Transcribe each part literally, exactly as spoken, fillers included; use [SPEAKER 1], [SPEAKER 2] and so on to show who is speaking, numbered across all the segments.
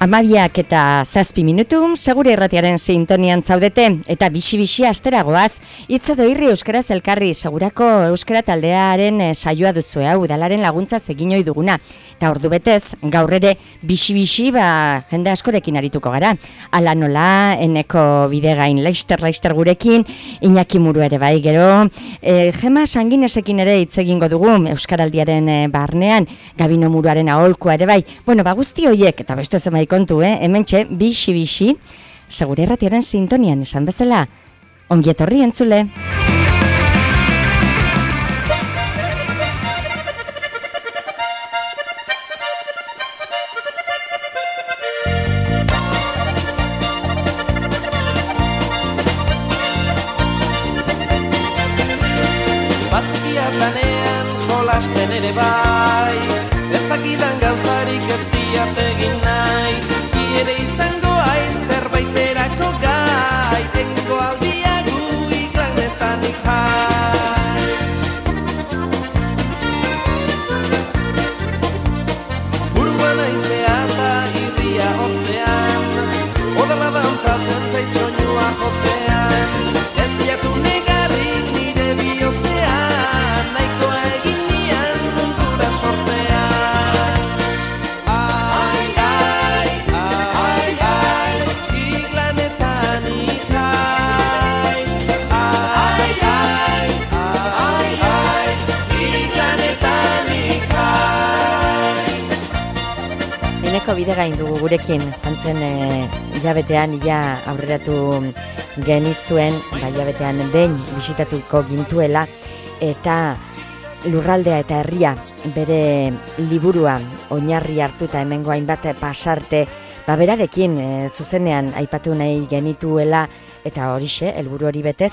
[SPEAKER 1] Amabiak eta zazpi minutu, segure irratiaren sintonian zaudete, eta bixi-bixi asteragoaz, itza doirri euskaraz elkarri, segurako euskara taldearen saioa duzu, hau, udalaren laguntza egin ohi duguna. Eta ordu betez, gaur ere bixi-bixi, ba, jende askorekin arituko gara. Ala nola, Eneko Bidegain, Leister, Leister gurekin, Iñaki Muru ere bai, gero, e, Gema Sanginesekin ere hitz egingo dugu, euskaraldiaren e, barnean, Gabino Muruaren aholkua ere bai. Bueno, ba, guzti hoiek, eta beste zemai kontu, eh? Hementxe, bixi-bixi, segure irratiaren sintonian esan bezala, ongietorri entzule.
[SPEAKER 2] Bazkiat lanean jolasten ere bai, ez dakidan gauzarik ez diat egin nahi, ere izango aiz zerbaiterako gai, tengo aldia gu iklanetan jai. Buruan aizea eta irria hotzean, odala dantzatzen zaitxoinua jotzean, ez diatu negarrik nire bihotzean, nahikoa egin nian mundura sortzean.
[SPEAKER 1] Eneko Bidegain dugu gurekin, jantzen e, hilabetean ia aurreratu genizuen, ba, hilabetean behin bisitatuko gintuela, eta lurraldea eta herria bere liburua oinarri hartuta hemengo hainbat pasarte, ba, berarekin e, zuzenean aipatu nahi genituela, eta horixe, helburu hori betez,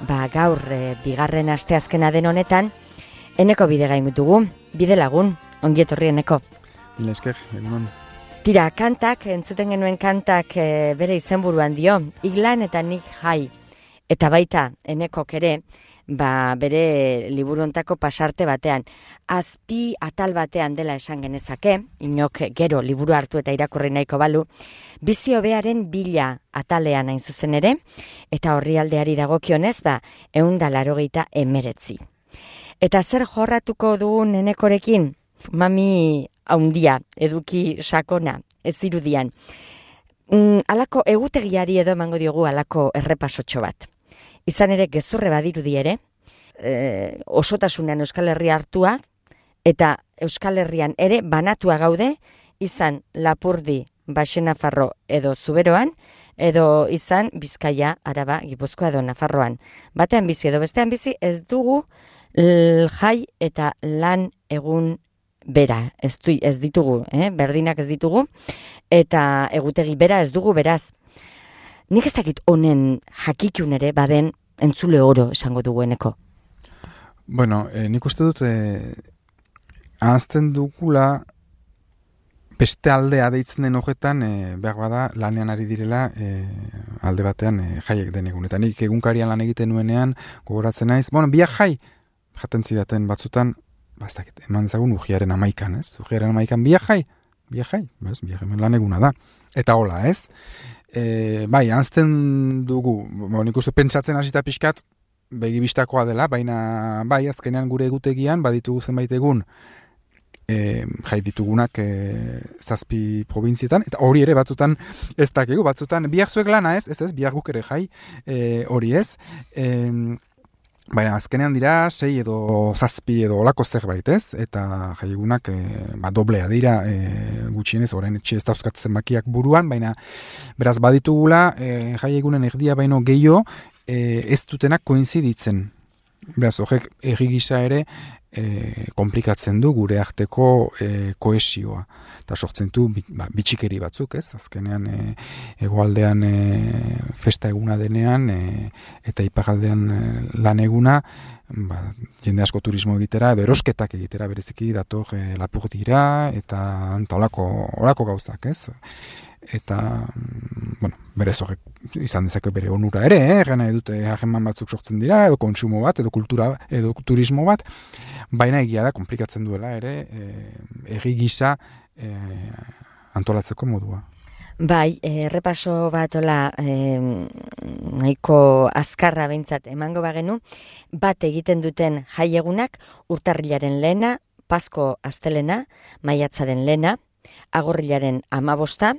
[SPEAKER 1] ba, gaur e, bigarren asteazkena den honetan, Eneko Bidegain dugu, bide lagun, ongietorri Eneko.
[SPEAKER 3] Mila esker, egunon.
[SPEAKER 1] Tira, kantak, entzuten genuen kantak e, bere izenburuan dio, Iglan eta nik jai. Eta baita, Enekok ere, ba, bere liburuntako pasarte batean, azpi atal batean dela esan genezake, inok gero liburu hartu eta irakurri nahiko balu, bizi hobearen bila atalean hain zuzen ere, eta orrialdeari dagokionez, ba, ehun eta laurogeita hemeretzi. Eta zer jorratuko dugun Enekorekin? Mami haundia, eduki sakona, ez irudian. Mm, alako egutegiari edo emango diogu alako errepasotxo bat. Izan ere gezurre badirudi ere, e, osotasunean Euskal Herria hartua, eta Euskal Herrian ere banatua gaude, izan Lapurdi, Baxenafarro edo Zuberoan, edo izan Bizkaia, Araba, Gipuzkoa edo Nafarroan. Batean bizi edo bestean bizi ez dugu l, jai eta lan egun bera, ez, du, ez ditugu, eh? berdinak ez ditugu, eta egutegi bera ez dugu beraz. Nik ez dakit honen jakitun ere baden entzule oro esango dugu Eneko.
[SPEAKER 3] Bueno, eh, nik uste dut eh, ahazten dugula beste aldea deitzen den horretan eh, behar bada lanean ari direla eh, alde batean eh, jaiek den egun. Eta nik egunkarian lan egiten nuenean gogoratzen naiz, bueno, biak jai jaten zidaten batzutan, bastakit, eman dezagun ujiaren amaikan, ez? Ujiaren amaikan biajai, biajai, bez, biajai lan eguna da. Eta hola, ez? E, bai, anzten dugu, bo, nik uste pentsatzen hasita pixkat, begibistakoa dela, baina bai, azkenean gure egutegian, baditugu zenbait egun, e, jai ditugunak e, zazpi probintzietan, eta hori ere batzutan ez dakigu, batzutan biak zuek lana, ez? Ez ez, biak guk ere jai, e, hori ez, e, baina azkenean dira sei edo zazpi edo olako zerbait, ez? Eta jaiegunak e, ba, doblea dira e, gutxienez, orain etxe ez dauzkatzen bakiak buruan, baina beraz baditugula e, jaiegunen erdia baino gehiago e, ez dutenak koinziditzen. Beraz, horrek erri gisa ere e, komplikatzen du gure arteko e, kohesioa. Eta sortzen du ba, bitxikeri batzuk, ez? Azkenean e, hegoaldean e, festa eguna denean e, eta iparraldean e, lan eguna, ba, jende asko turismo egitera edo erosketak egitera bereziki dator e, Lapurdira eta olako, olako gauzak, ez? Eta, bueno, berez horrek izan dezake bere onura ere, eh? Gana edute hageman batzuk sortzen dira, edo kontsumo bat, edo kultura, edo turismo bat, baina egia da, komplikatzen duela ere, e, erri gisa e, antolatzeko modua.
[SPEAKER 1] Bai, errepaso bat ola eh, nahiko azkarra behintzat emango bagenu, bat egiten duten jaiegunak urtarrilaren lehena, Pasko astelena, maiatzaren lehena, agorrilaren amabosta,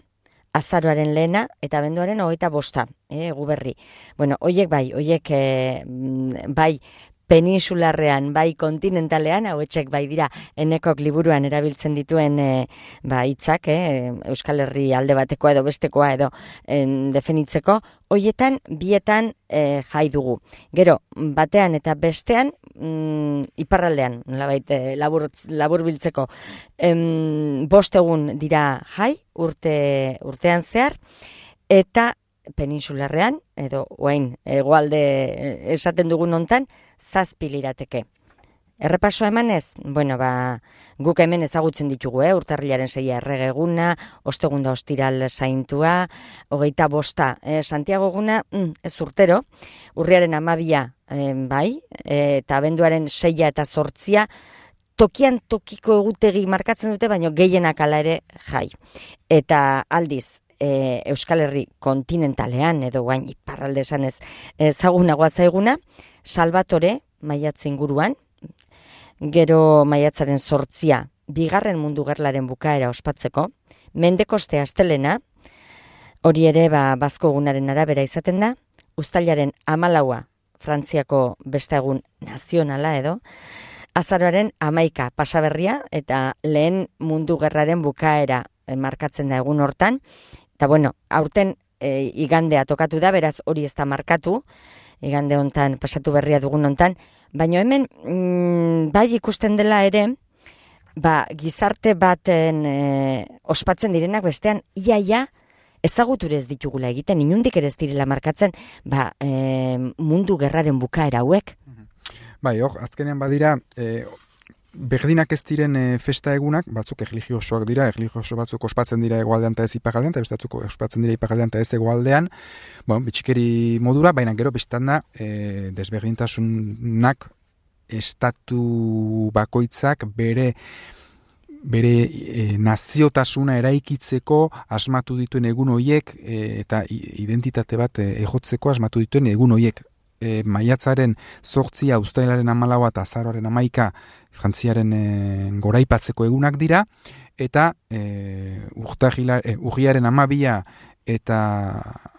[SPEAKER 1] azaroaren lehena eta abenduaren hogeita bosta, eh, guberri. Bueno, hoiek bai, hoiek eh, bai peninsularrean, bai kontinentalean, hauetxek bai dira enekok liburuan erabiltzen dituen e, ba, hitzak, eh, Euskal Herri alde batekoa edo bestekoa edo en, definitzeko, hoietan bietan e, jai dugu. Gero, batean eta bestean, mm, iparraldean, nolabait e, labur, labur biltzeko, em, bost egun dira jai, urte, urtean zehar, eta peninsularrean, edo oain, hegoalde esaten dugun hontan, zazpi lirateke. Errepasoa emanez, bueno, ba, guk hemen ezagutzen ditugu, eh? Urtarrilaren seia erregeguna, ostegunda ostiral zaintua, hogeita bosta, eh? Santiago eguna, mm, ez urtero, urriaren amabia, eh, bai, eh, eta abenduaren seia eta zortzia, tokian tokiko egutegi markatzen dute, baina gehienak ala ere jai. Eta aldiz, E, Euskal Herri kontinentalean edo guain iparralde esanez ezagunagoa zaiguna, Salvatore maiatz inguruan, gero maiatzaren zortzia, bigarren mundu gerlaren bukaera ospatzeko, Mendekoste astelena, hori ere ba, bazko egunaren arabera izaten da, uztailaren hamalaua, Frantziako beste egun nazionala edo, azaroaren hamaika pasaberria eta lehen mundu gerraren bukaera markatzen da egun hortan. Eta bueno, aurten e, igandea tokatu da, beraz hori ez da markatu, igande hontan, pasatu berria dugun hontan, baina hemen mm, bai ikusten dela ere, ba, gizarte baten e, ospatzen direnak bestean, iaia ezaguturez ditugula egiten, inundik ere ez direla markatzen, ba, e, mundu gerraren bukaera hauek.
[SPEAKER 3] Bai, hor, azkenean badira, e, berdinak ez diren e, festa egunak, batzuk erlijiosoak dira, erlijioso batzuk ospatzen dira egoaldean eta ez iparraldean, eta beste batzuk ospatzen dira iparraldean eta ez egoaldean, bueno, bitxikeri modura, baina gero bestan da, e, desberdintasunak estatu bakoitzak bere bere e, naziotasuna eraikitzeko asmatu dituen egun hoiek e, eta identitate bat e, egotzeko asmatu dituen egun hoiek. E, maiatzaren zortzia, uztailaren hamalaua eta azaroaren hamaika Frantziaren e, goraipatzeko egunak dira, eta e, urriaren hamabia eta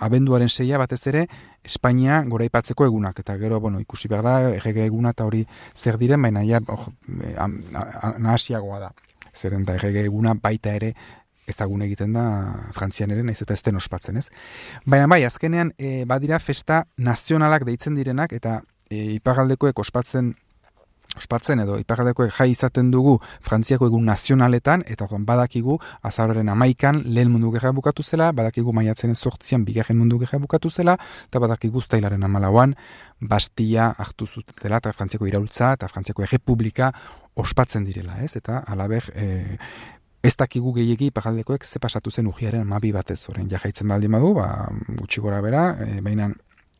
[SPEAKER 3] abenduaren seia batez ere Espainia goraipatzeko egunak. Eta gero, bueno, ikusi behar da, errege eguna eta hori zer diren, baina ja, oh, nahasiagoa da. Zeren da errege eguna baita ere ezagun egiten da Frantzian ere, naiz eta ez den ospatzen, ez? Baina bai, azkenean e, badira festa nazionalak deitzen direnak, eta e, iparraldekoek ospatzen ospatzen edo iparraldekoek jai izaten dugu Frantziako egun nazionaletan, eta orduan badakigu azaroaren hamaikan lehen mundu gerra bukatu zela, badakigu maiatzaren zortzian bigarren mundu gerra bukatu zela, eta badakigu uztailaren hamalauan Bastia hartu zutela, eta Frantziako iraultza eta Frantziako errepublika ospatzen direla, ez? Eta halaber, e, ez dakigu gehiegi iparraldekoek ze pasatu zen urriaren hamabi batez, orain jaitzen baldin badu, ba, gutxi gora bera, e, baina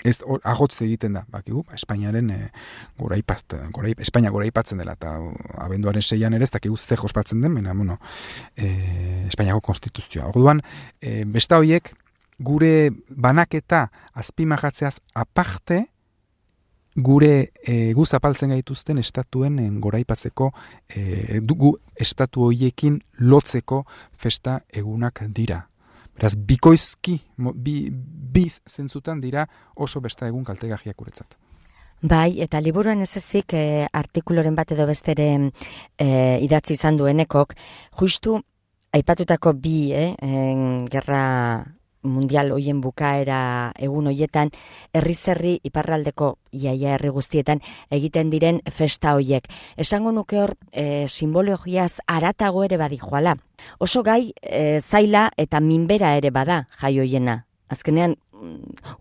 [SPEAKER 3] ez agotze egiten da, bakigu, Espainiaren e, goraipat, goraip, Espainia goraipatzen dela, eta abenduaren seian ere ez dakigu zer ospatzen den, baina, bueno, e, Espainiako konstituzioa. Orduan, e, besta horiek, gure banaketa azpimarratzeaz aparte, gure e, gu zapaltzen gaituzten estatuen en, goraipatzeko e, dugu estatu horiekin lotzeko festa egunak dira. Beraz, bikoizki, bi, biz zentzutan dira oso besta egun kaltegarriak guretzat.
[SPEAKER 1] Bai, eta liburuan ez ezik e, artikuloren bat edo bestere e, idatzi izan duenekok, justu aipatutako bi, eh, en, gerra mundial hoien bukaera egun hoietan, herri-zerri iparraldeko iaia herri guztietan egiten diren festa hoiek. Esango nuke hor e, simbologiaz aratago ere badijoala. Oso gai e, zaila eta minbera ere bada jai hoiena. Azkenean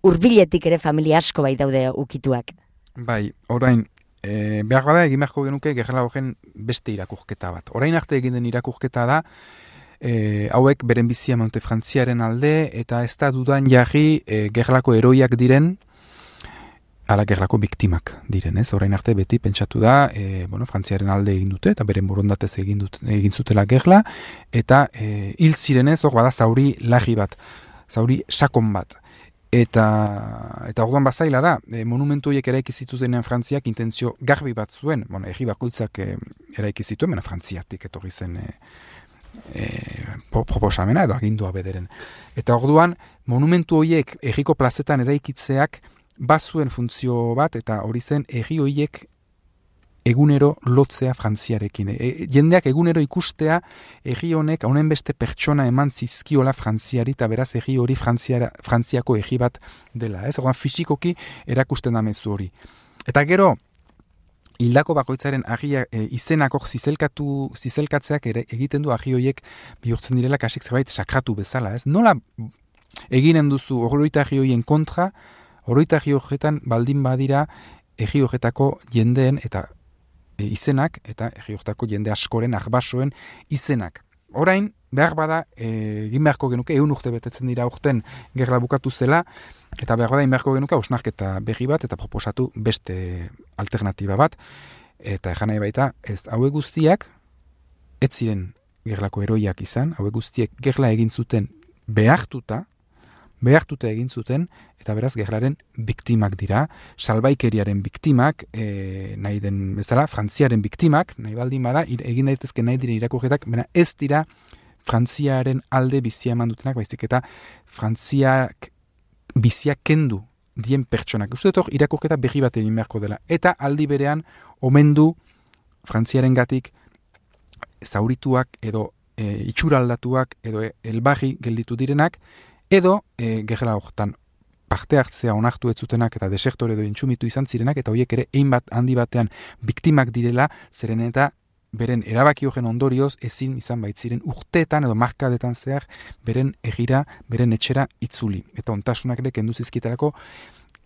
[SPEAKER 1] hurbiletik ere familia asko bai daude ukituak.
[SPEAKER 3] Bai, orain, e, behar bada egin beharko genuke gerlagoen beste irakurketa bat. Orain arte egin den irakurketa da, E, hauek beren bizia Monte Frantziaren alde, eta ez da dudan jarri e, gerlako eroiak diren ala gerlako biktimak diren, ez? Orain arte beti pentsatu da, e, bueno, Frantziaren alde egin dute, eta beren borondatez egin, dut, egin zutela gerla, eta e, hil zirenez, hor bada zauri lagi bat, zauri sakon bat. Eta, eta orduan bazaila da, e, monumentu horiek eraiki zituzenean Frantziak intentzio garbi bat zuen, bueno, egi bakoitzak e, eraiki zituen, mena Frantziatik etorri zen e, e, proposamena edo agindua bederen. Eta orduan, monumentu horiek egiko plazetan eraikitzeak bazuen funtzio bat, eta hori zen egi horiek egunero lotzea Frantziarekin. E, jendeak egunero ikustea egi honek honen beste pertsona eman zizkiola Frantziari, eta beraz egi hori Frantziara, Frantziako egi bat dela. Ez? Orduan fisikoki erakusten da mezu hori. Eta gero, hildako bakoitzaren agia e, izenako zizelkatu, zizelkatzeak ere egiten du agi horiek bihurtzen direla kasik zerbait sakratu bezala. Ez? Nola eginen duzu oroita agi horien kontra, oroita egi horretan baldin badira egi horretako jendeen eta e, izenak, eta egi horretako jende askoren, arbasoen izenak. Orain, behar bada, e, egin beharko genuke, egun urte betetzen dira urten gerla bukatu zela, eta behar bada, egin beharko genuke, hausnarketa berri bat, eta proposatu beste alternatiba bat, eta ejan nahi baita, ez, hauek guztiak, ez ziren gerlako heroiak izan, hauek guztiek gerla egin zuten behartuta, behartuta egin zuten, eta beraz gerlaren biktimak dira, salbaikeriaren biktimak, e, nahi den bezala, Frantziaren biktimak, nahi baldin bada, egin daitezke nahi diren irakurketak, baina ez dira Frantziaren alde bizia eman dutenak, baizik eta Frantziak bizia kendu dien pertsonak. Uste dut irakurketa berri bat egin beharko dela. Eta aldi berean, omendu Frantziaren gatik zaurituak edo e, itxuraldatuak edo elbarri gelditu direnak, edo e, gerla horretan parte hartzea onartu ez zutenak eta desektore edo intsumitu izan zirenak, eta horiek ere ein bat handi batean biktimak direla, zeren eta beren erabaki horren ondorioz ezin izan baitziren urteetan edo markadetan zehar beren egira, beren etxera itzuli. Eta ontasunak ere kendu zizkietarako,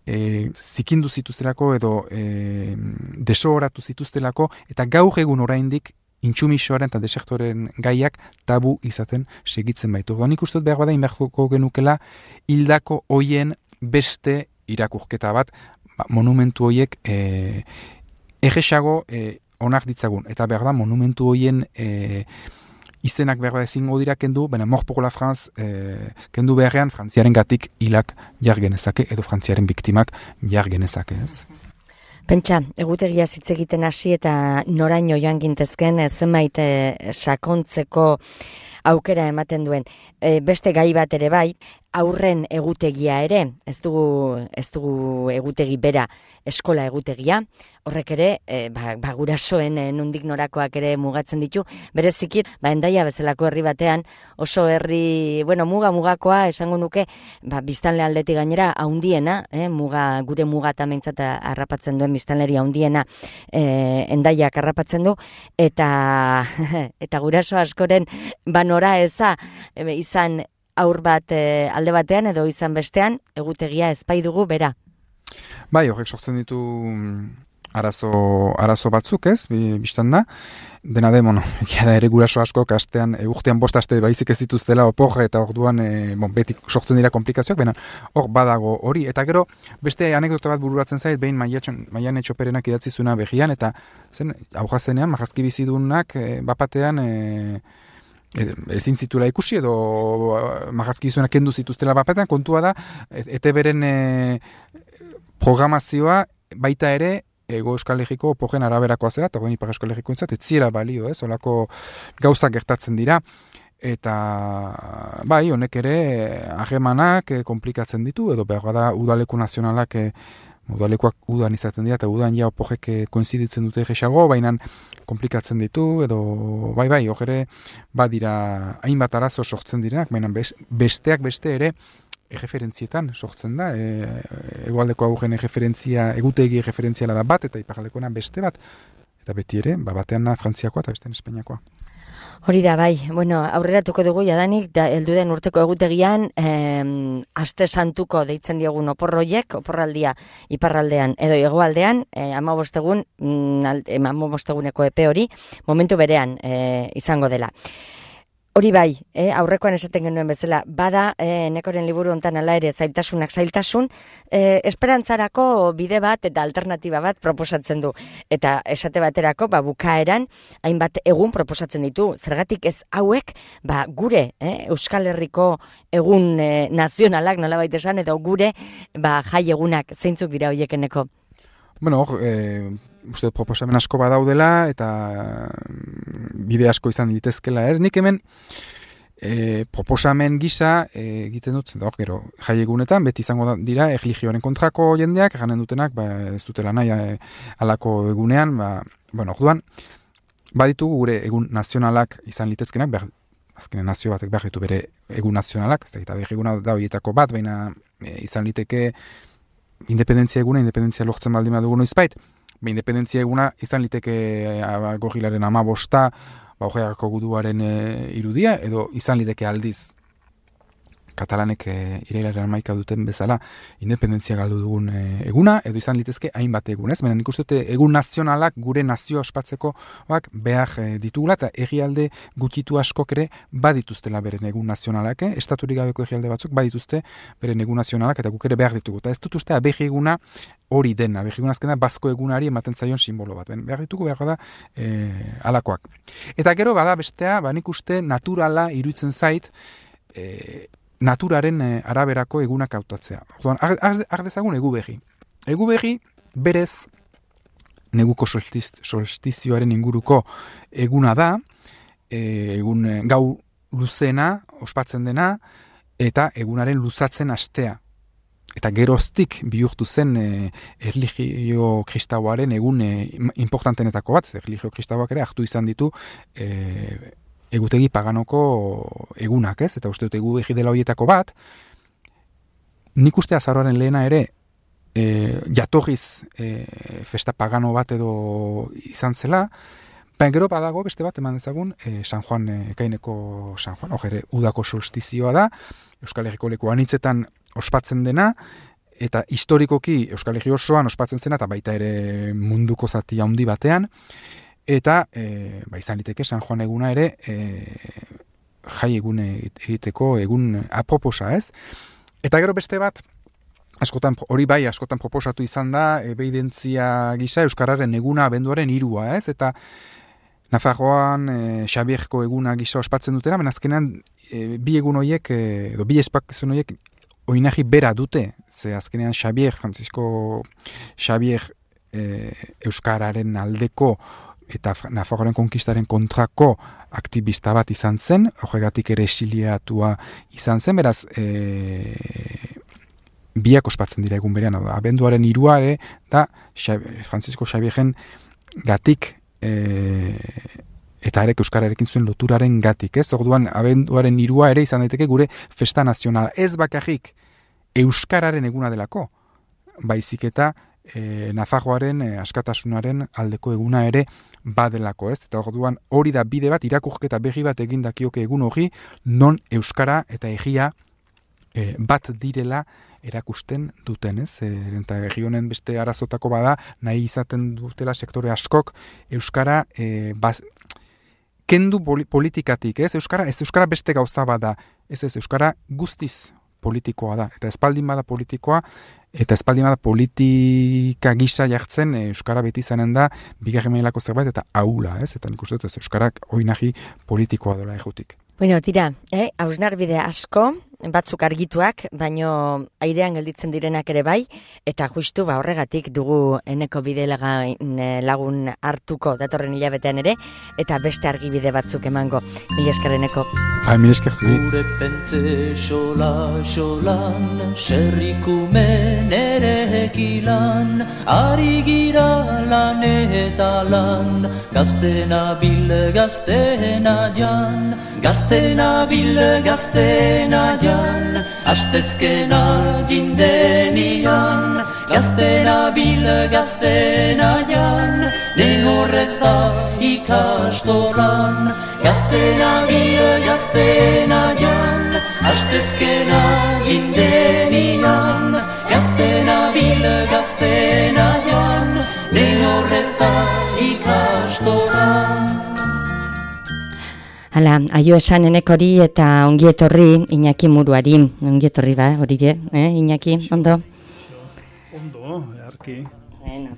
[SPEAKER 3] e, zikindu zituztelako edo e, desohoratu zituztelako, eta gaur egun oraindik intsumisoaren eta desektoren gaiak tabu izaten segitzen baitu. Nik uste dut behar bada inbertuko genukela hildako hoien beste irakurketa bat, ba, monumentu hoiek e, erresago e, onak ditzagun. Eta behar da monumentu hoien e, izenak behar da ezingo dira kendu, baina Mort pour la France e, kendu beharrean Frantziaren gatik hilak jar genezake edo Frantziaren biktimak jar genezake, ez?
[SPEAKER 1] Pentsa, egutegia hitz egiten hasi eta noraino joan gintezken zenbait sakontzeko aukera ematen duen. E, beste gai bat ere bai, aurren egutegia ere, ez dugu, ez dugu egutegi bera, eskola egutegia, horrek ere, e, ba, ba gurasoen e, nundik norakoak ere mugatzen ditu, bereziki, ba Hendaia bezalako herri batean, oso herri, bueno, muga mugakoa, esango nuke, ba biztanle aldetik gainera, haundiena, eh, muga, gure muga tamentzat harrapatzen duen biztanleri haundiena, e, Hendaiak harrapatzen du, eta, eta guraso askoren, ba nora eza, e, izan, aur bat e, alde batean edo izan bestean, egutegia ezpai dugu bera.
[SPEAKER 3] Bai, horrek sortzen ditu arazo, arazo batzuk, ez, biztan da. Dena de, bueno, da ere guraso askok astean, e, urtean bost aste baizik ez dituztela oporra eta orduan e, bon, beti sortzen dira komplikazioak, baina hor badago hori. Eta gero, beste anekdota bat bururatzen zait, behin Maian Etxoperenak idatzi zuena behian, eta zen, aurra zenean, marrazki bizidunak, e, bapatean, e, ezin zituela ikusi edo marrazki izunak kendu zituztela bapatean, kontua da, E T Beren e, programazioa baita ere Ego Euskal Herriko opogen araberakoa zera, eta guen Ipar Euskal Herriko entzat, ez zira balio, ez, olako gauzak gertatzen dira, eta bai, honek ere harremanak komplikatzen ditu, edo behar da udaleku nazionalak e, udalekuak udan izaten dira, eta udan ja opogek koinziditzen dute egesago, baina komplikatzen ditu, edo bai bai, hor ere badira hainbat arazo sortzen direnak, baina besteak beste ere erreferentzietan sortzen da, e, egoaldeko aurren erreferentzia, egutegi erreferentziala da bat, eta iparaldekoena beste bat, eta beti ere, ba, batean na Frantziakoa eta bestean Espainiakoa.
[SPEAKER 1] Hori da, bai, bueno, aurreratuko dugu jadanik, da, heldu den urteko egutegian, eh, aste santuko deitzen diogun oporroiek, oporraldia iparraldean edo hegoaldean, eh, amabostegun, mm, amabosteguneko epe hori, momentu berean eh, izango dela. Hori bai, eh, aurrekoan esaten genuen bezala, bada eh, Enekoren liburu hontan hala ere zailtasunak zailtasun, eh, esperantzarako bide bat eta alternatiba bat proposatzen du. Eta esate baterako, ba, bukaeran, hainbat egun proposatzen ditu. Zergatik ez hauek, ba, gure eh, Euskal Herriko egun eh, nazionalak, nolabait esan, edo gure ba, jai egunak zeintzuk dira horiek Eneko?
[SPEAKER 3] Bueno, eh, uste proposamen asko badaudela eta bide asko izan litezkela ez. Nik hemen eh, proposamen gisa eh, egiten dut, da, gero, jai egunetan, beti izango da, dira erlijioaren kontrako jendeak, ganen dutenak, ba, ez dutela nahi eh, alako egunean, ba, bueno, orduan, baditugu gure egun nazionalak izan litezkenak, behar, azkenen nazio batek behar ditu bere egun nazionalak, ez da, eta behar eguna da horietako bat, baina eh, izan liteke independentzia eguna, independentzia lortzen baldin badugu noizbait, ba, independentzia eguna izan liteke gorrilaren amabosta, ba, ogeako guduaren e, irudia, edo izan liteke aldiz katalanek e, irailaren hamaika duten bezala independentzia galdu dugun e, eguna, edo izan litezke hainbat egun, ez? Baina nik uste dute egun nazionalak gure nazio ospatzeko bak, behar e, ditugula, eta egialde gutxitu askok ere badituztela beren egun nazionalak, eh? Estaturik gabeko egialde batzuk badituzte beren egun nazionalak, eta guk ere behar ditugu. Eta ez dut uste abehi eguna hori dena, abehi eguna azkena bazko egunari ematen zaion simbolo bat. Ben, behar ditugu behar da e, alakoak. Eta gero bada bestea, ba, nik uste naturala iruditzen zait, e, naturaren e, araberako egunak hautatzea. Orduan, har dezagun egu behi. Egu behi, berez, neguko solstiz, solstizioaren inguruko eguna da, e, egun e, gau luzena, ospatzen dena, eta egunaren luzatzen astea. Eta geroztik bihurtu zen e, erlijio kristauaren egun e, importantenetako bat, erlijio kristauak ere hartu izan ditu e, egutegi paganoko egunak, ez? Eta uste dut egu egi dela horietako bat, nik uste azaroaren lehena ere e, jatorriz e, festa pagano bat edo izan zela, baina gero badago beste bat eman dezagun e, San Juan, e, ekaineko San Juan, hor udako solstizioa da, Euskal Herriko leku anitzetan ospatzen dena, eta historikoki Euskal Herri osoan ospatzen zena, eta baita ere munduko zati handi batean, eta e, ba, izan liteke San Juan eguna ere e, jai egun egiteko egun aproposa, ez? Eta gero beste bat, askotan, hori bai, askotan proposatu izan da, ebeidentzia gisa Euskararen eguna abenduaren hirua, ez? Eta Nafarroan e, Xabierko eguna gisa ospatzen dutena, baina azkenean e, bi egun horiek, e, edo bi espakizun horiek oinarri bera dute, ze azkenean Xabier, Francisco Xabier e, Euskararen aldeko eta Nafarroaren konkistaren kontrako aktivista bat izan zen, horregatik ere exiliatua izan zen, beraz, e, biak ospatzen dira egun berean, abenduaren hirua ere, da Francisco Xabierren gatik, e, eta arek Euskararekin zuen loturaren gatik, ez? Orduan, abenduaren hirua ere izan daiteke gure festa nazionala. Ez bakarrik Euskararen eguna delako, baizik eta E, Nafarroaren e, askatasunaren aldeko eguna ere badelako, ez? Eta orduan hori da bide bat, irakurketa berri bat egin dakioke egun hori, non Euskara eta egia e, bat direla erakusten duten, ez? E, eta herri honen beste arazotako bada, nahi izaten dutela sektore askok Euskara e, baz, kendu politikatik, ez? Euskara, ez Euskara beste gauza bada, ez ez Euskara guztiz politikoa da, eta espaldin bada politikoa, eta espaldin bada politika gisa jartzen, e, Euskara beti izanen da, bigarren mailako zerbait, eta ahula, ez? Eta nik uste dut ez Euskarak oinahi politikoa dola ejutik.
[SPEAKER 1] Bueno, tira, eh, hausnarbide asko, batzuk argituak, baino airean gelditzen direnak ere bai, eta justu ba horregatik dugu Eneko bide lagun hartuko datorren hilabetean ere, eta beste argibide batzuk emango. Mila esker Eneko.
[SPEAKER 3] Hai, mila esker zuri.
[SPEAKER 4] Gure pentze xola xolan, serrikumen ere ekilan, ari gira lan eta lan, gaztena bil gaztena jan, gaztena bil gaztena jan, astezkena jindenian, gaztena bil gaztena jan, ne horrez da ikastolan, gaztena bil gaztena jan, astezkena jindenian, gaztena bil gaztena jan, ne horrez da ikastolan.
[SPEAKER 1] Hala, aio esan enek hori eta ongi etorri Iñaki Muruari. Ongi etorri ba, hori de, eh, Iñaki, ondo?
[SPEAKER 5] Ondo, earki.
[SPEAKER 1] Bueno.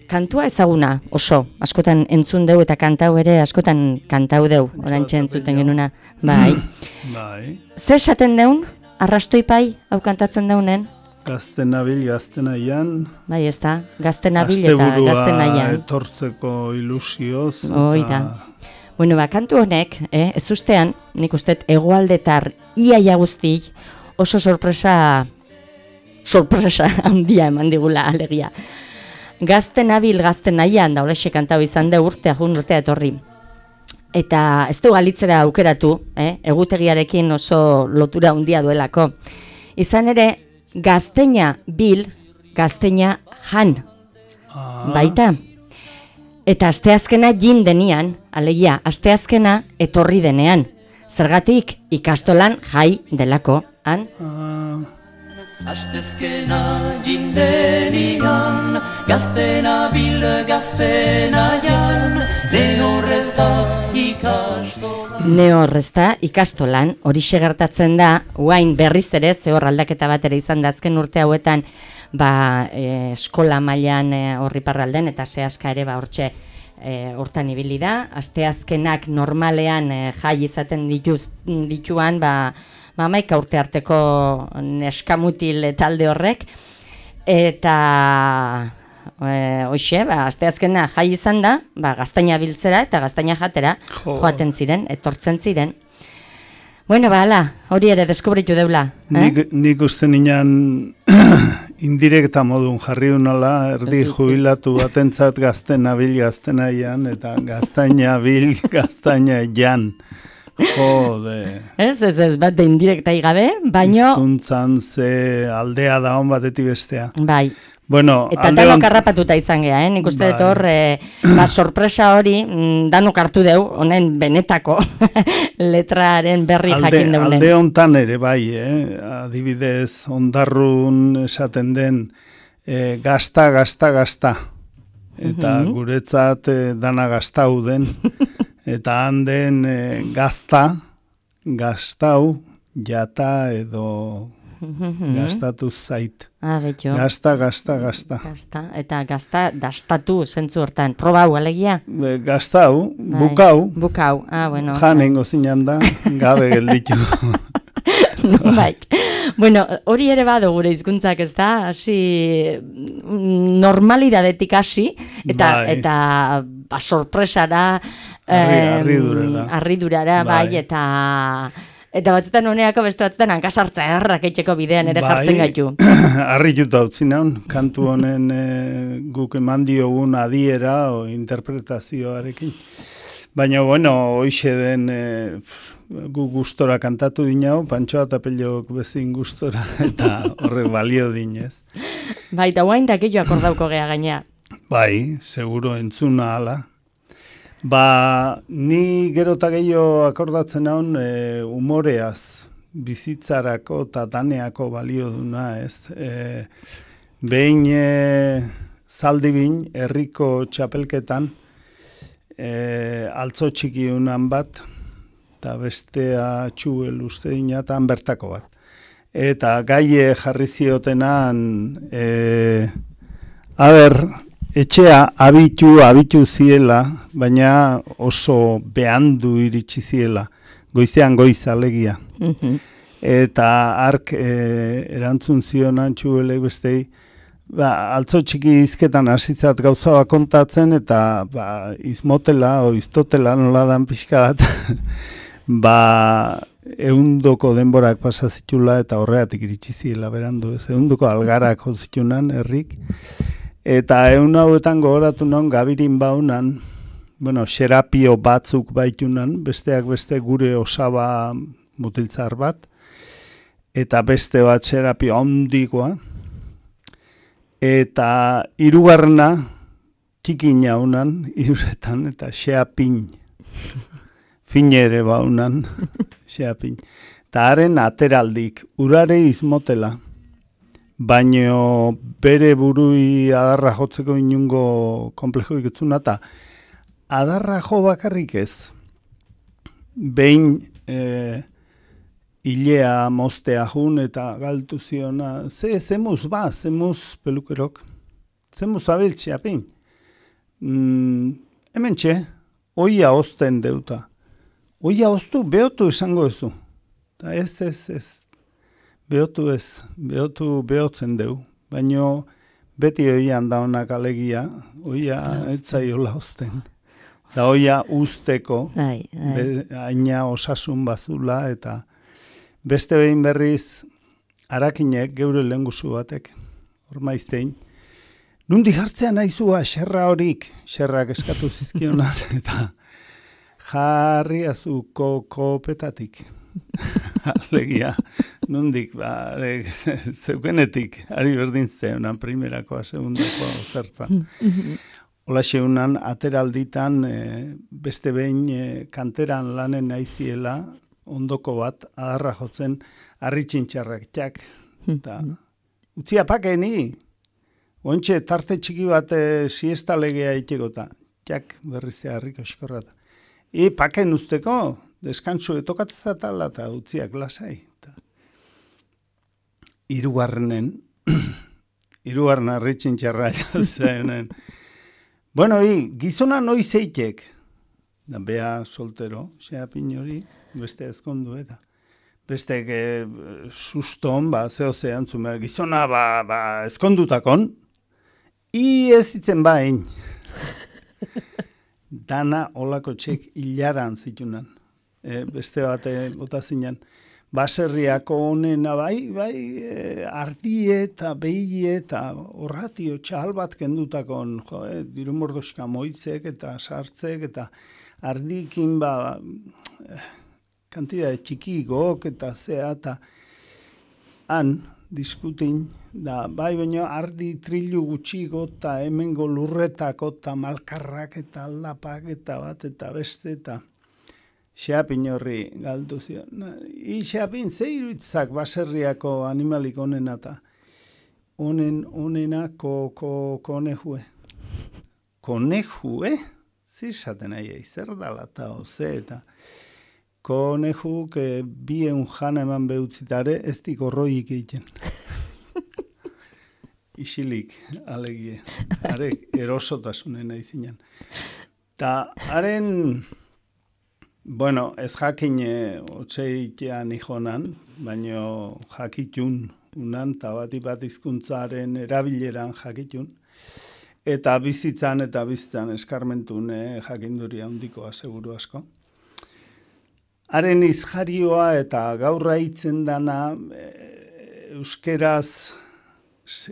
[SPEAKER 1] Kantua ezaguna, oso, askotan entzun deu eta kantau ere askotan kantau deu, orantxe entzuten genuna. Bai.
[SPEAKER 5] Bai.
[SPEAKER 1] Ze esaten deun, arrastoipai, hau kantatzen deunen?
[SPEAKER 5] Gazte nabil, gazte nahian.
[SPEAKER 1] Bai, ez da, gazte nabil eta gazte nahian.
[SPEAKER 5] Etortzeko ilusioz.
[SPEAKER 1] Hoi da. Bueno, ba, kantu honek, eh, ez ustean, nik usteet egoaldetar iaia guzti oso sorpresa, sorpresa handia eman digula alegia. Gazte nabil, gazte nahian, da horrexe kantau izan de urtea, jun urtea etorri. Eta ez du galitzera aukeratu, eh, egutegiarekin oso lotura handia duelako. Izan ere, gazteina bil, gazteina jan,
[SPEAKER 5] Ah.
[SPEAKER 1] baita. Eta asteazkena jin denian, alegia, asteazkena etorri denean. Zergatik ikastolan jai delako, han?
[SPEAKER 5] Ah.
[SPEAKER 4] Astezkena jindenian, gaztena bil gaztena jan, ne horrez da ikastolan.
[SPEAKER 1] Ne horrez da ikastolan, hori gertatzen da, guain berriz ere, ze hor aldaketa bat ere izan da azken urte hauetan, ba, e, eskola mailan e, horri parralden, eta zehaska ere, ba, hortxe, e, hortan ibili da, asteazkenak normalean e, jai izaten dituz, dituan, ba, ba, maika urte arteko neskamutil talde horrek, eta e, hoxe, ba, asteazkena jai izan da, ba, gaztaina biltzera eta gaztaina jatera
[SPEAKER 5] Jo.
[SPEAKER 1] joaten ziren, etortzen ziren. Bueno, ba, ala, hori ere deskubritu deula. Eh?
[SPEAKER 5] Nik, nik uste nian indirekta modun jarri unala, erdi jubilatu batentzat gazte nabil, gazte nahian, eta gaztaina bil, gaztaina jan. Jode.
[SPEAKER 1] Ez, ez, ez, bat de indirektai gabe, baino,
[SPEAKER 5] Hizkuntzan ze aldea da hon batetik bestea.
[SPEAKER 1] bai,
[SPEAKER 5] Bueno,
[SPEAKER 1] eta
[SPEAKER 5] alde
[SPEAKER 1] danok
[SPEAKER 5] hon-
[SPEAKER 1] harrapatuta izan gea, eh? Nik uste dut
[SPEAKER 5] Bai.
[SPEAKER 1] hor, e, ba, sorpresa hori, mm, danok hartu deu, honen benetako letraren berri
[SPEAKER 5] alde,
[SPEAKER 1] jakin deunen.
[SPEAKER 5] alde hontan ere bai, eh? Adibidez, ondarrun esaten den eh, gazta, gazta, gazta. Eta
[SPEAKER 1] Mhm.
[SPEAKER 5] guretzat eh, dana gaztau den. Eta handen eh, gazta, gaztau, jata edo gaztatu zait.
[SPEAKER 1] Ah, betxo.
[SPEAKER 5] Gazta, gazta, gazta.
[SPEAKER 1] Gazta, eta gazta dastatu zentzu hortan. Probau, alegia?
[SPEAKER 5] E, Gaztau,
[SPEAKER 1] Bai.
[SPEAKER 5] bukau,
[SPEAKER 1] Bukau, ah, bueno.
[SPEAKER 5] janengo zinan da, gabe gelditu.
[SPEAKER 1] Bai. Bueno, hori ere badu gure hizkuntzak, ez da? Hasi mm, normalidadetik hasi eta
[SPEAKER 5] Bai.
[SPEAKER 1] eta ba, sorpresara,
[SPEAKER 5] Harri-
[SPEAKER 1] em,
[SPEAKER 5] harridurara.
[SPEAKER 1] harridurara, bai,
[SPEAKER 5] Bai.
[SPEAKER 1] eta eta batzutan honeako beste batzutan hankasartza errak etxeko bidean ere jartzen gaitu.
[SPEAKER 5] Harrituta utzi naun, kantu honen e, guk eman diogun adiera o interpretazioarekin. Baina, bueno, hoxe den e, gu gustora kantatu dinau, Pantxoa eta Pelok bezin gustora, eta horrek balio dinez.
[SPEAKER 1] Bai, eta guain da gehiago akordauko gea gaina.
[SPEAKER 5] Bai, seguro entzuna ala. Ba, ni gero eta gehiago akordatzen haun e, umoreaz, bizitzarako eta daneako balio duna, ez? E, behin e, zaldi bin, herriko txapelketan, e, altzo txiki unan bat, eta bestea txuel uste dinatan bertako bat. Eta gaie jarri ziotenan, e, a ber, etxea abitu, abitu ziela, baina oso behandu iritsi ziela, goizean goiz alegia.
[SPEAKER 1] Mhm.
[SPEAKER 5] Eta ark e, erantzun zionan txuelek bestei, ba, altzo txiki hizketan hasitzat gauza bat kontatzen, eta ba, izmotela o iztotela nola dan pixka bat, ba, ehundoko denborak pasa zitula eta horregatik iritsi ziela berandu, ez ehundoko algarak jo zitunan herrik. Eta egun hauetan gogoratu non gabirin baunan, bueno, xerapio batzuk baitunan, besteak beste gure osaba mutiltzar bat, eta beste bat xerapio handikoa, eta hirugarrena txikina unan, hiruretan, eta xeapin, fine ere baunan, xeapin. Eta haren ateraldik, urare izmotela, baino bere burui adarra jotzeko inungo komplejo iketzuna, eta adarra jo bakarrik ez. behin e, hilea moztea jun eta galtu ziona, ze, zemuz ba, zemuz pelukerok, zemuz abiltzea pin. Mm, hemen txe, oia ozten deuta. Oia oztu, behotu esango ezu. Ta ez, ez, ez. Behotu ez, behotu behotzen deu. Baina beti oian da honak alegia, oia etzaiola ozten. Da oia usteko, haina osasun bazula, eta beste behin berriz harakinek geure lehenguzu batek, hor maiztein. Nundi jartzea naizua xerra horik, xerrak eskatu zizkionan, eta jarri azuko kopetatik. Alegia, nundik, ba, zeukenetik, ari berdin zeunan, primerakoa, segundakoa, zertza. Ola xeunan, ateralditan, e, beste behin e, kanteran lanen naiziela, ondoko bat, adarra jotzen, harritxintxarrak, txak, eta utzia pakeni, ontxe tarte txiki bat e, siesta legea itxegota, txak, berrizea harriko eskorrata. E, paken usteko, deskantzu etokatzatala eta utziak lasai. Hirugarrenen, hirugarren harritxintxarra zenen. Bueno, hi, gizona noiz eitek, da bea soltero, xea pinori, beste ezkondu eta. Beste que suston, ba, zeo zean zumera, gizona, ba, ba, ezkondutakon, i ez itzen ba, hein. Dana olako txek hilaran zitunan. E, beste bate bota zinen. Baserriako honena bai, bai, e, ardie eta behie eta horratio txal bat kendutakon, jo, e, diru mordoska moitzek eta sartzek eta ardikin ba, e, kantida txikigok eta zea eta han diskutin, da, bai, baina ardi trilu gutxiko eta hemengo lurretako eta malkarrak eta aldapak eta bat eta beste eta xeapin horri galdu zion. I xeapin ze iruitzak baserriako animalik onena eta onen, onena ko, ko, konejue. Konejue? Zizaten aia, zer dala eta oze eta konejuk eh, bien jana eman behutzitare ez diko roik egiten. Isilik, alegie. Arek erosotasunen aizinan. Ta, haren... Bueno, ez jakin otxeitean ijonan, baino jakitun unan, eta bati bat izkuntzaren erabileran jakitun, eta bizitzan eta bizitzan eskarmentun eh, jakinduria handikoa seguru asko. Haren izjarioa eta gaurra hitzen dana e, euskeraz,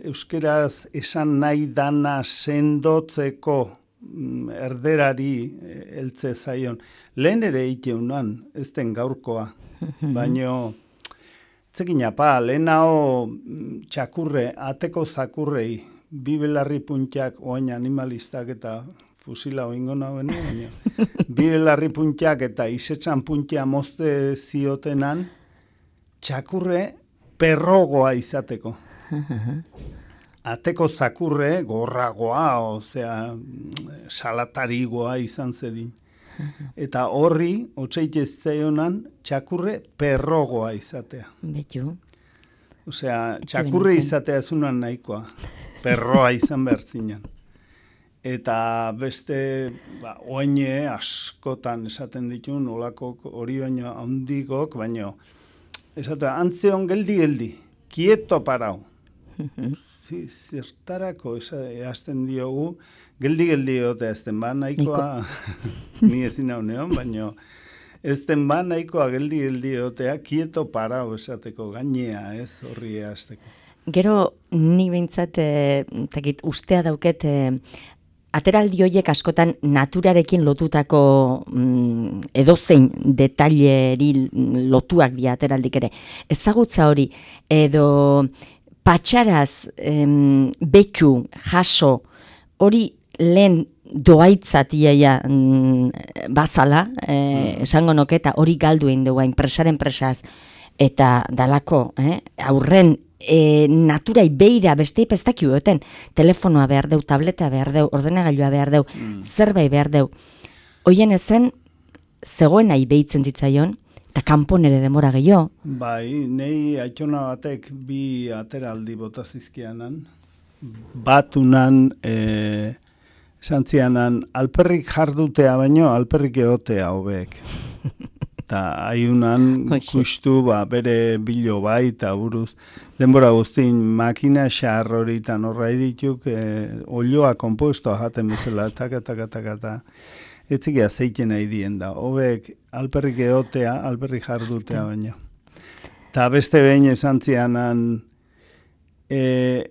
[SPEAKER 5] euskeraz esan nahi dana sendotzeko erderari heltze zaion. Lehen ere iteunan, ez den gaurkoa, baino zekin apa, lehenao txakurre, ateko zakurrei, bi belarri puntiak oain animalistak eta fusila oingo nauen, baino bi belarri puntiak eta isetzan puntia mozte ziotenan, txakurre perrogoa izateko. Ateko zakurre gorragoa, osea, salatarigoa izan zedin. Eta horri, otxeitez zaionan, txakurre perrogoa izatea.
[SPEAKER 1] Betu.
[SPEAKER 5] Osea, txakurre izatea zunan nahikoa. Perroa izan behar zinen. Eta beste, ba, oine askotan esaten ditun, olako hori baino handikok, baino, esatea, antzeon geldi-geldi, kieto parau. Zertarako eazten diogu, geldi-geldi egotea ezten ba nahikoa, ni ezin hau neon, baina ezten ba nahikoa geldi-geldi egotea, kieto parau esateko gainea ez horri eazteko.
[SPEAKER 1] Gero, ni behintzat, e, ustea dauket, e, ateraldi horiek askotan naturarekin lotutako mm, edozein detaileri lotuak dira ateraldik ere. Ezagutza hori, edo patxaraz, em, betxu, jaso, hori lehen doaitzat iaia mm, bazala, e, esango noketa, hori galdu egin dugu, enpresaren presaz, eta dalako, eh, aurren e, naturai beira beste ipestakio eten, telefonoa behar deu, tableta behar deu, ordenagailua behar deu, mm. zerbait behar deu. Hoien ezen, zegoen nahi behitzen zitzaion, eta kanpon ere demora gehiago.
[SPEAKER 5] Bai, nei aitona batek bi ateraldi bota zizkianan, batunan, e, santzianan, alperrik jardutea baino, alperrik egotea hobeek. Eta haiunan kustu ba, bere bilo bai, eta buruz, denbora guztin makina xar hori eta norra dituk, e, olioa kompostoa jaten bezala, taka, taka, taka, taka. Etzik azeiten nahi dien da. Hobek alperrik egotea, alperrik jardutea baino. Eta beste behin esan zianan, e,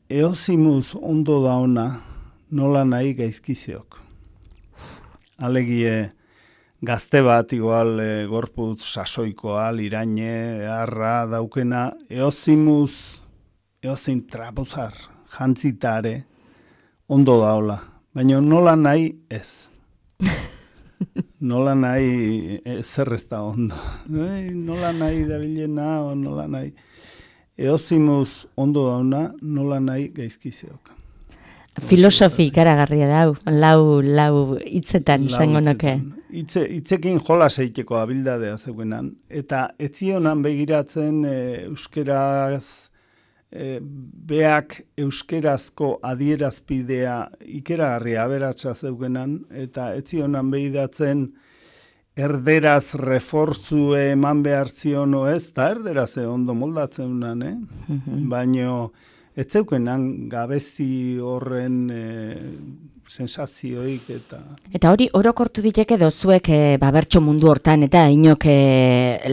[SPEAKER 5] eozimuz ondo dauna nola nahi gaizkizeok. Alegie, gazte bat igual e, gorputz sasoikoa, liraine, harra daukena, eozimuz, eozin trapuzar, jantzitare, ondo daola. Baina nola nahi ez. Nola nahi zer ez da ondo. Nola nahi dabilena, o nola nahi. Eozimuz ondo dauna, nola nahi gaizkizeok.
[SPEAKER 1] Filosofi ikaragarria da, lau, lau hitzetan, esango nuke.
[SPEAKER 5] Itze, itzekin jola zeiteko abildadea zeuenan. Eta etzionan begiratzen e, euskeraz, e, beak euskerazko adierazpidea ikeragarria aberatsa zeuenan, eta etzionan begiratzen erderaz reforzue eman behar ziono ez, eta erderaz ondo moldatzen unan, eh? Mm-hmm. Baino, ez zeukenan gabezi horren e, sensazioik eta...
[SPEAKER 1] Eta hori orokortu diteke dozuek e, ba, bertso mundu hortan eta inok e,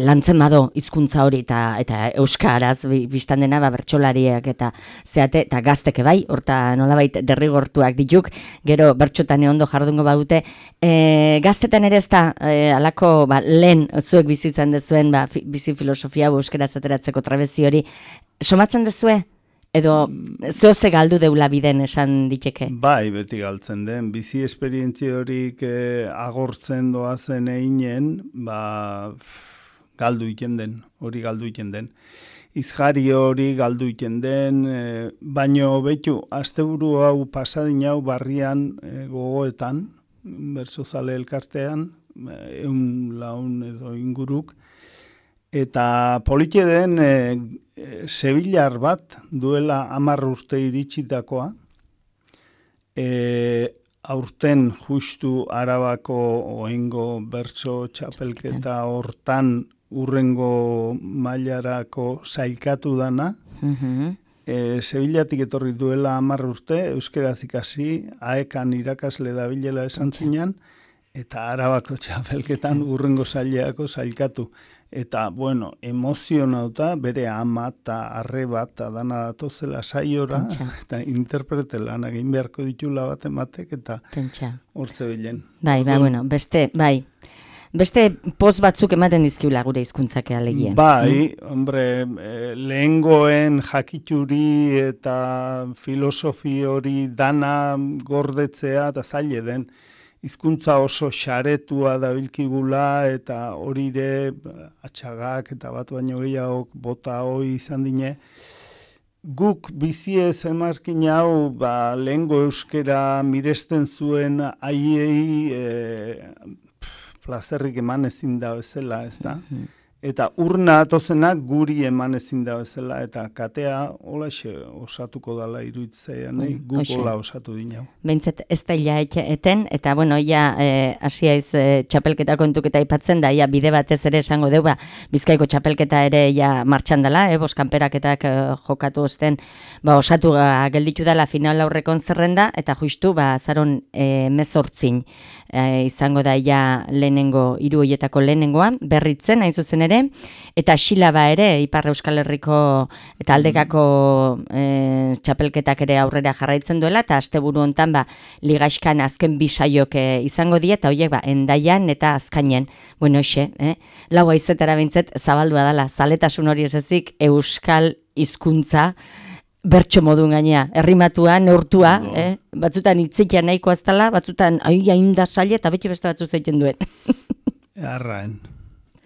[SPEAKER 1] lantzen bado hizkuntza hori eta, eta euskaraz biztan dena ba, bertsolariak eta zeate eta gazteke bai, horta nolabait derrigortuak dituk, gero bertxotan ondo jardungo badute. E, gaztetan ere ez da, e, alako ba, lehen zuek bizi izan dezuen ba, fi, bizi filosofia euskaraz ateratzeko trabezi hori, somatzen dezue? Edo zehoze galdu deula biden esan diteke?
[SPEAKER 5] Bai, beti galtzen den. Bizi esperientzia horik eh, agortzen doazen einen, ba, galdu iken den, hori galdu iken den. Izjari hori galdu iken den, eh, baino betu, asteburu hau pasadin hau barrian eh, gogoetan, Bertsozale elkartean, eun laun edo inguruk, eta politxe den e, e, Sevillar bat duela hamar urte iritsitakoa, e, aurten justu Arabako oengo bertso txapelketa hortan urrengo mailarako sailkatu dana, mm-hmm. e, Sevillatik etorri duela hamar urte, euskeraz ikasi, aekan irakasle dabilela esan zinan, eta Arabako txapelketan urrengo saileako sailkatu. Eta, bueno, emozionauta, bere ama eta arreba eta dana datozela saiora, eta interprete lan egin beharko ditula bat ematek, eta hor zebilen.
[SPEAKER 1] Bai, bai, bueno, beste, bai, beste poz batzuk ematen dizkiula gure hizkuntzak alegien.
[SPEAKER 5] Bai, mm? hombre, lehengoen jakituri eta filosofi hori dana gordetzea eta zaile den. Hizkuntza oso xaretua dabilkigula eta horire atxagak eta bat baino gehiago bota hoi izan dine. Guk bizie zemarkin hau ba, lehengo euskera miresten zuen aiei e, plazerrik eman ezin da bezala, ez da? Mm-hmm. Eta urna atozenak guri eman ezin da bezala, eta katea holaxe osatuko dala iruditzea, nahi, mm, guk hola osatu dinau.
[SPEAKER 1] Behintzet ez da ila eten, eta bueno, ia hasia e, iz e, txapelketa kontuketa ipatzen da, ia bide batez ere esango deu, ba, Bizkaiko txapelketa ere ia martxan dela, e, boskanperaketak e, jokatu osten, ba, osatu ga, gelditu dela final aurrekon zerrenda, eta justu, ba, zaron e, mezortzin e, izango da ia lehenengo, hiru hoietako lehenengoa, berritzen, hain zuzen ere, eta Xilaba ere, Ipar Euskal Herriko eta Aldekako e, txapelketak ere aurrera jarraitzen duela, eta asteburu hontan ba, ligaxkan azken bisaiok e, izango die, eta horiek ba, Endaian eta Azkainen, bueno, xe, eh? lau aizetara bintzet zabaldua dela, zaletasun hori esezik Euskal hizkuntza bertso modun gainea, errimatua, neurtua, no. eh? batzutan hitzikia nahiko aztala, batzutan hain da zaila, eta beti beste batzu zeiten duen.
[SPEAKER 5] Arraen.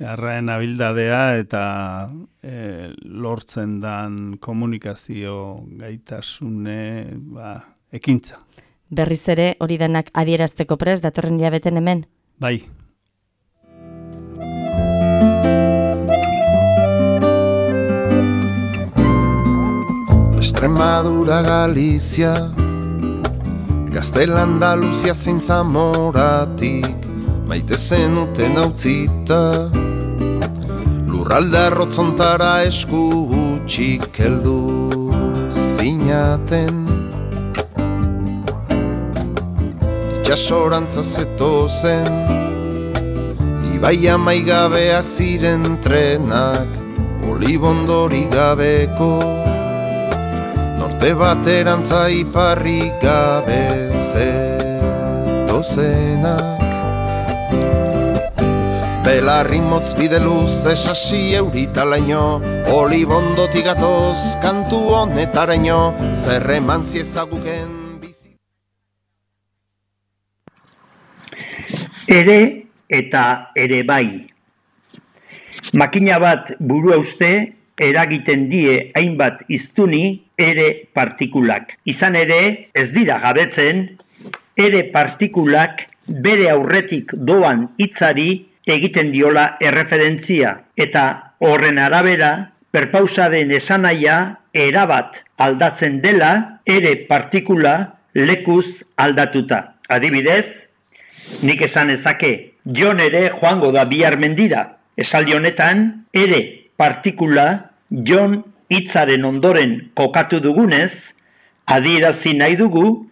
[SPEAKER 5] Arraen abildadea eta e, lortzen dan komunikazio gaitasune ba, ekintza.
[SPEAKER 1] Berriz ere hori denak adierazteko prest, datorren jabeten hemen?
[SPEAKER 5] Bai,
[SPEAKER 2] Extremadura, Galizia, Gaztel Andaluzia zein Zamoratik maite zenuten hautzita, lurralde arrotzontara esku gutxik heldu zinaten. Itxasorantza zetozen, ibaia maigabeak ziren trenak, olibondori gabeko, norte baterantza iparri gabe zetozenak. Belarri motz bide luze sasi euritalaino, olibondotik gatoz kantu honetaraino, zerreman ziezaguken bizi.
[SPEAKER 6] Ere eta ere bai. Makina bat burua uste eragiten die hainbat hiztuni ere partikulak. Izan ere, ez dira gabetzen, ere partikulak bere aurretik doan hitzari egiten diola erreferentzia, eta horren arabera, perpausaren esanahia erabat aldatzen dela ere partikula lekuz aldatuta. Adibidez, nik esan ezake, Jon ere joango da bihar mendira. Esaldi honetan, ere partikula Jon hitzaren ondoren kokatu dugunez, adierazi nahi dugu,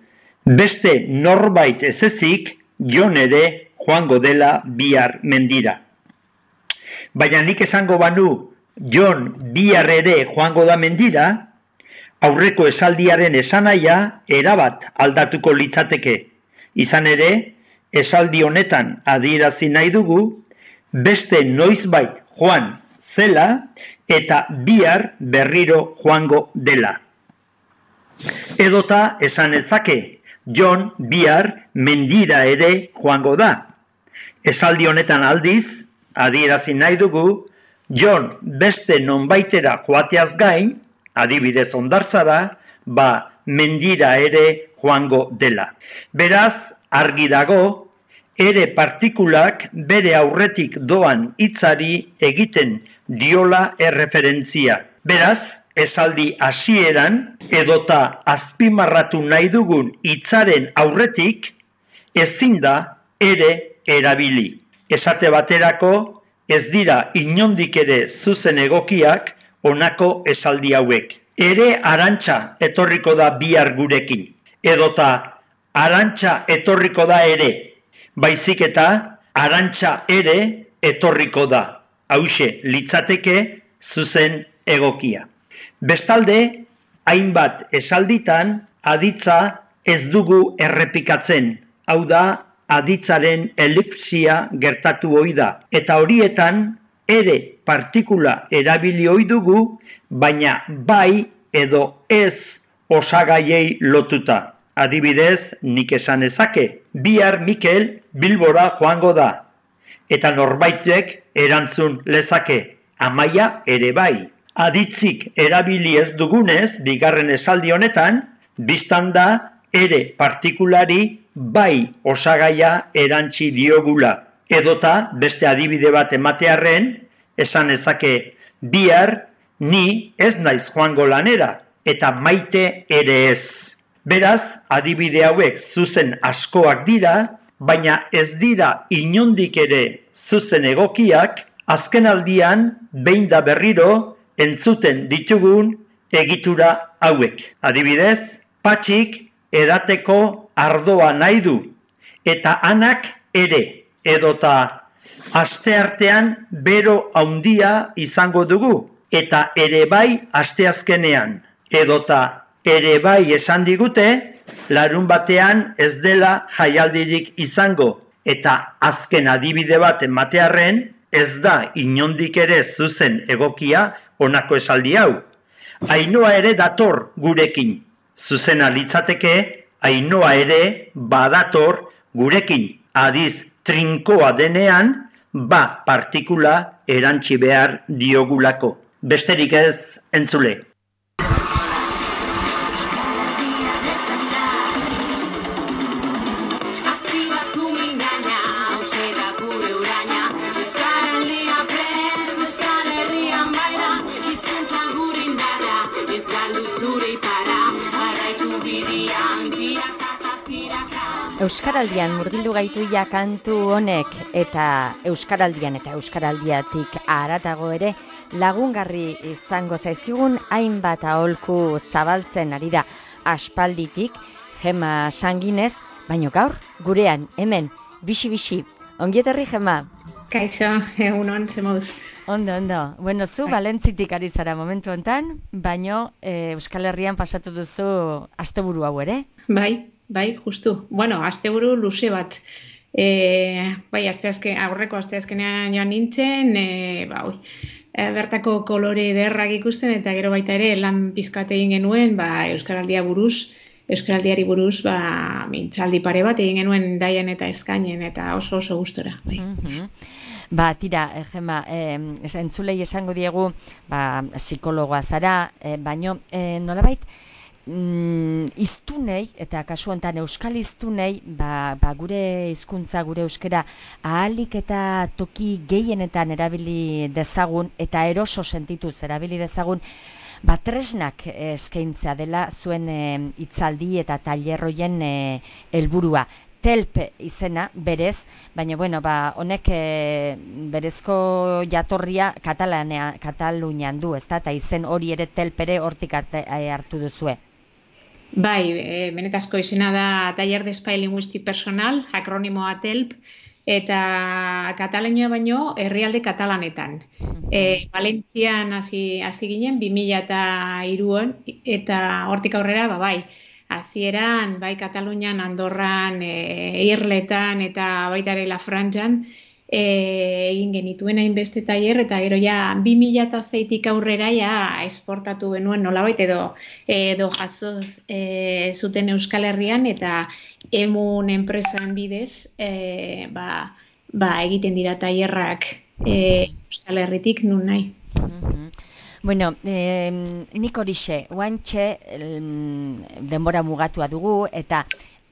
[SPEAKER 6] beste norbait ez ezik Jon ere joango dela bihar mendira. Baina nik esango banu Jon bihar ere joango da mendira, aurreko esaldiaren esanahia erabat aldatuko litzateke. Izan ere, esaldi honetan adierazi nahi dugu, beste noizbait joan zela eta bihar berriro joango dela. Edota esan ezake, Jon bihar mendira ere joango da. Esaldi honetan aldiz, adierazi nahi dugu, Jon beste nonbaitera joateaz gain, adibidez hondartzara, ba mendira ere joango dela. Beraz, argi dago, ere partikulak bere aurretik doan hitzari egiten diola erreferentzia. Beraz, esaldi hasieran edota azpimarratu nahi dugun hitzaren aurretik ezin da ere erabili. Esate baterako ez dira inondik ere zuzen egokiak honako esaldi hauek. Ere arantxa etorriko da bihar gurekin. Edota arantxa etorriko da ere. Baizik eta arantxa ere etorriko da. Hauxe litzateke zuzen egokia. Bestalde, hainbat esalditan aditza ez dugu errepikatzen. Hau da, aditzaren elipsia gertatu ohi da. Eta horietan, ere partikula erabili ohi dugu, baina bai edo ez osagaiei lotuta. Adibidez, nik esan ezake, bihar Mikel Bilbora joango da. Eta norbaitek erantzun lezake, Amaia ere bai. Aditzik erabili ez dugunez, bigarren esaldi honetan, biztan da ere partikulari bai osagaia erantzi diogula. Edota, beste adibide bat ematearren, esan ezake, bihar ni ez naiz joango lanera, eta maite ere ez. Beraz, adibide hauek zuzen askoak dira, baina ez dira inondik ere zuzen egokiak, azken aldian, behin da berriro, entzuten ditugun egitura hauek. Adibidez, Patxik edateko ardoa nahi du, eta Anak ere, edota asteartean bero handia izango dugu, eta ere bai asteazkenean, edota ere bai esan digute, larun batean ez dela jaialdirik izango, eta azken adibide bat ematearren, ez da inondik ere zuzen egokia honako esaldi hau. Ainhoa ere dator gurekin. Zuzena litzateke, Ainhoa ere badator gurekin. Adiz trinkoa denean, ba partikula erantzi behar diogulako. Besterik ez entzule.
[SPEAKER 7] Euskal Herrian baira, hizkuntza gure indarra, ez galdu zure ipara.
[SPEAKER 1] Euskaraldian murgildu gaitu ja kantu honek eta Euskaraldian eta Euskaraldiatik haratago ere lagungarri izango zaizkigun hainbat aholku zabaltzen ari da aspalditik Gema Sanginez, baino gaur gurean hemen bixi-bixi. Ongietorri Gema.
[SPEAKER 7] Kaixo, egunon, ze moduz.
[SPEAKER 1] Ondo, ondo. Bueno, zu Valentzitik ari zara momentu hontan, baino e, Euskal Herrian pasatu duzu asteburu hau ere?
[SPEAKER 7] Bai, bai, justu. Bueno, asteburu luze bat. E, bai, asteazken, aurreko asteazkenean joan nintzen, e, ba, oi, e, bertako kolore ederrak ikusten eta gero baita ere lan pizkat egin genuen, ba, Euskaraldia buruz, Euskaraldiari buruz, ba, mintzaldi pare bat egin genuen Daian eta Eskainen eta oso oso gustora. Bai.
[SPEAKER 1] Mm-hmm. Ba, tira, Gema, eh, entzulei esango diegu, ba, psikologoa zara, eh, baino, eh, nolabait, mm, iztunei, eta kasu honetan euskal iztunei, ba, ba, gure hizkuntza, gure euskera, ahalik eta toki gehienetan erabili dezagun, eta eroso sentituz erabili dezagun, ba, tresnak eskaintzea dela zuen hitzaldi eta tailerroien helburua. Telp izena berez, baina bueno, ba, honek e, berezko jatorria Katalania, Katalunian du, ezta? Eta izen hori ere telp ere hortik hartu duzue.
[SPEAKER 7] Bai, e, benetazko izena da Taller de Espai Linguístic Personal, akronimoa telp, eta Katalania baino herrialde katalanetan. E, Valentzian hasi hasi ginen bi mila hiruan eta hortik aurrera, ba bai, hasieran bai Katalunian, Andorran, e, Irletan eta baita ere La Frantxan e, egin genituen hainbeste tailer eta gero ja bi mila seitik aurrera ja esportatu genuen nolabait edo edo jaso e, zuten Euskal Herrian eta Emun enpresan bidez e, ba, ba egiten dira tailerrak e, Euskal Herritik nun nahi.
[SPEAKER 1] Mm-hmm. Bueno, eh, nik horixe, oantxe denbora mugatua dugu eta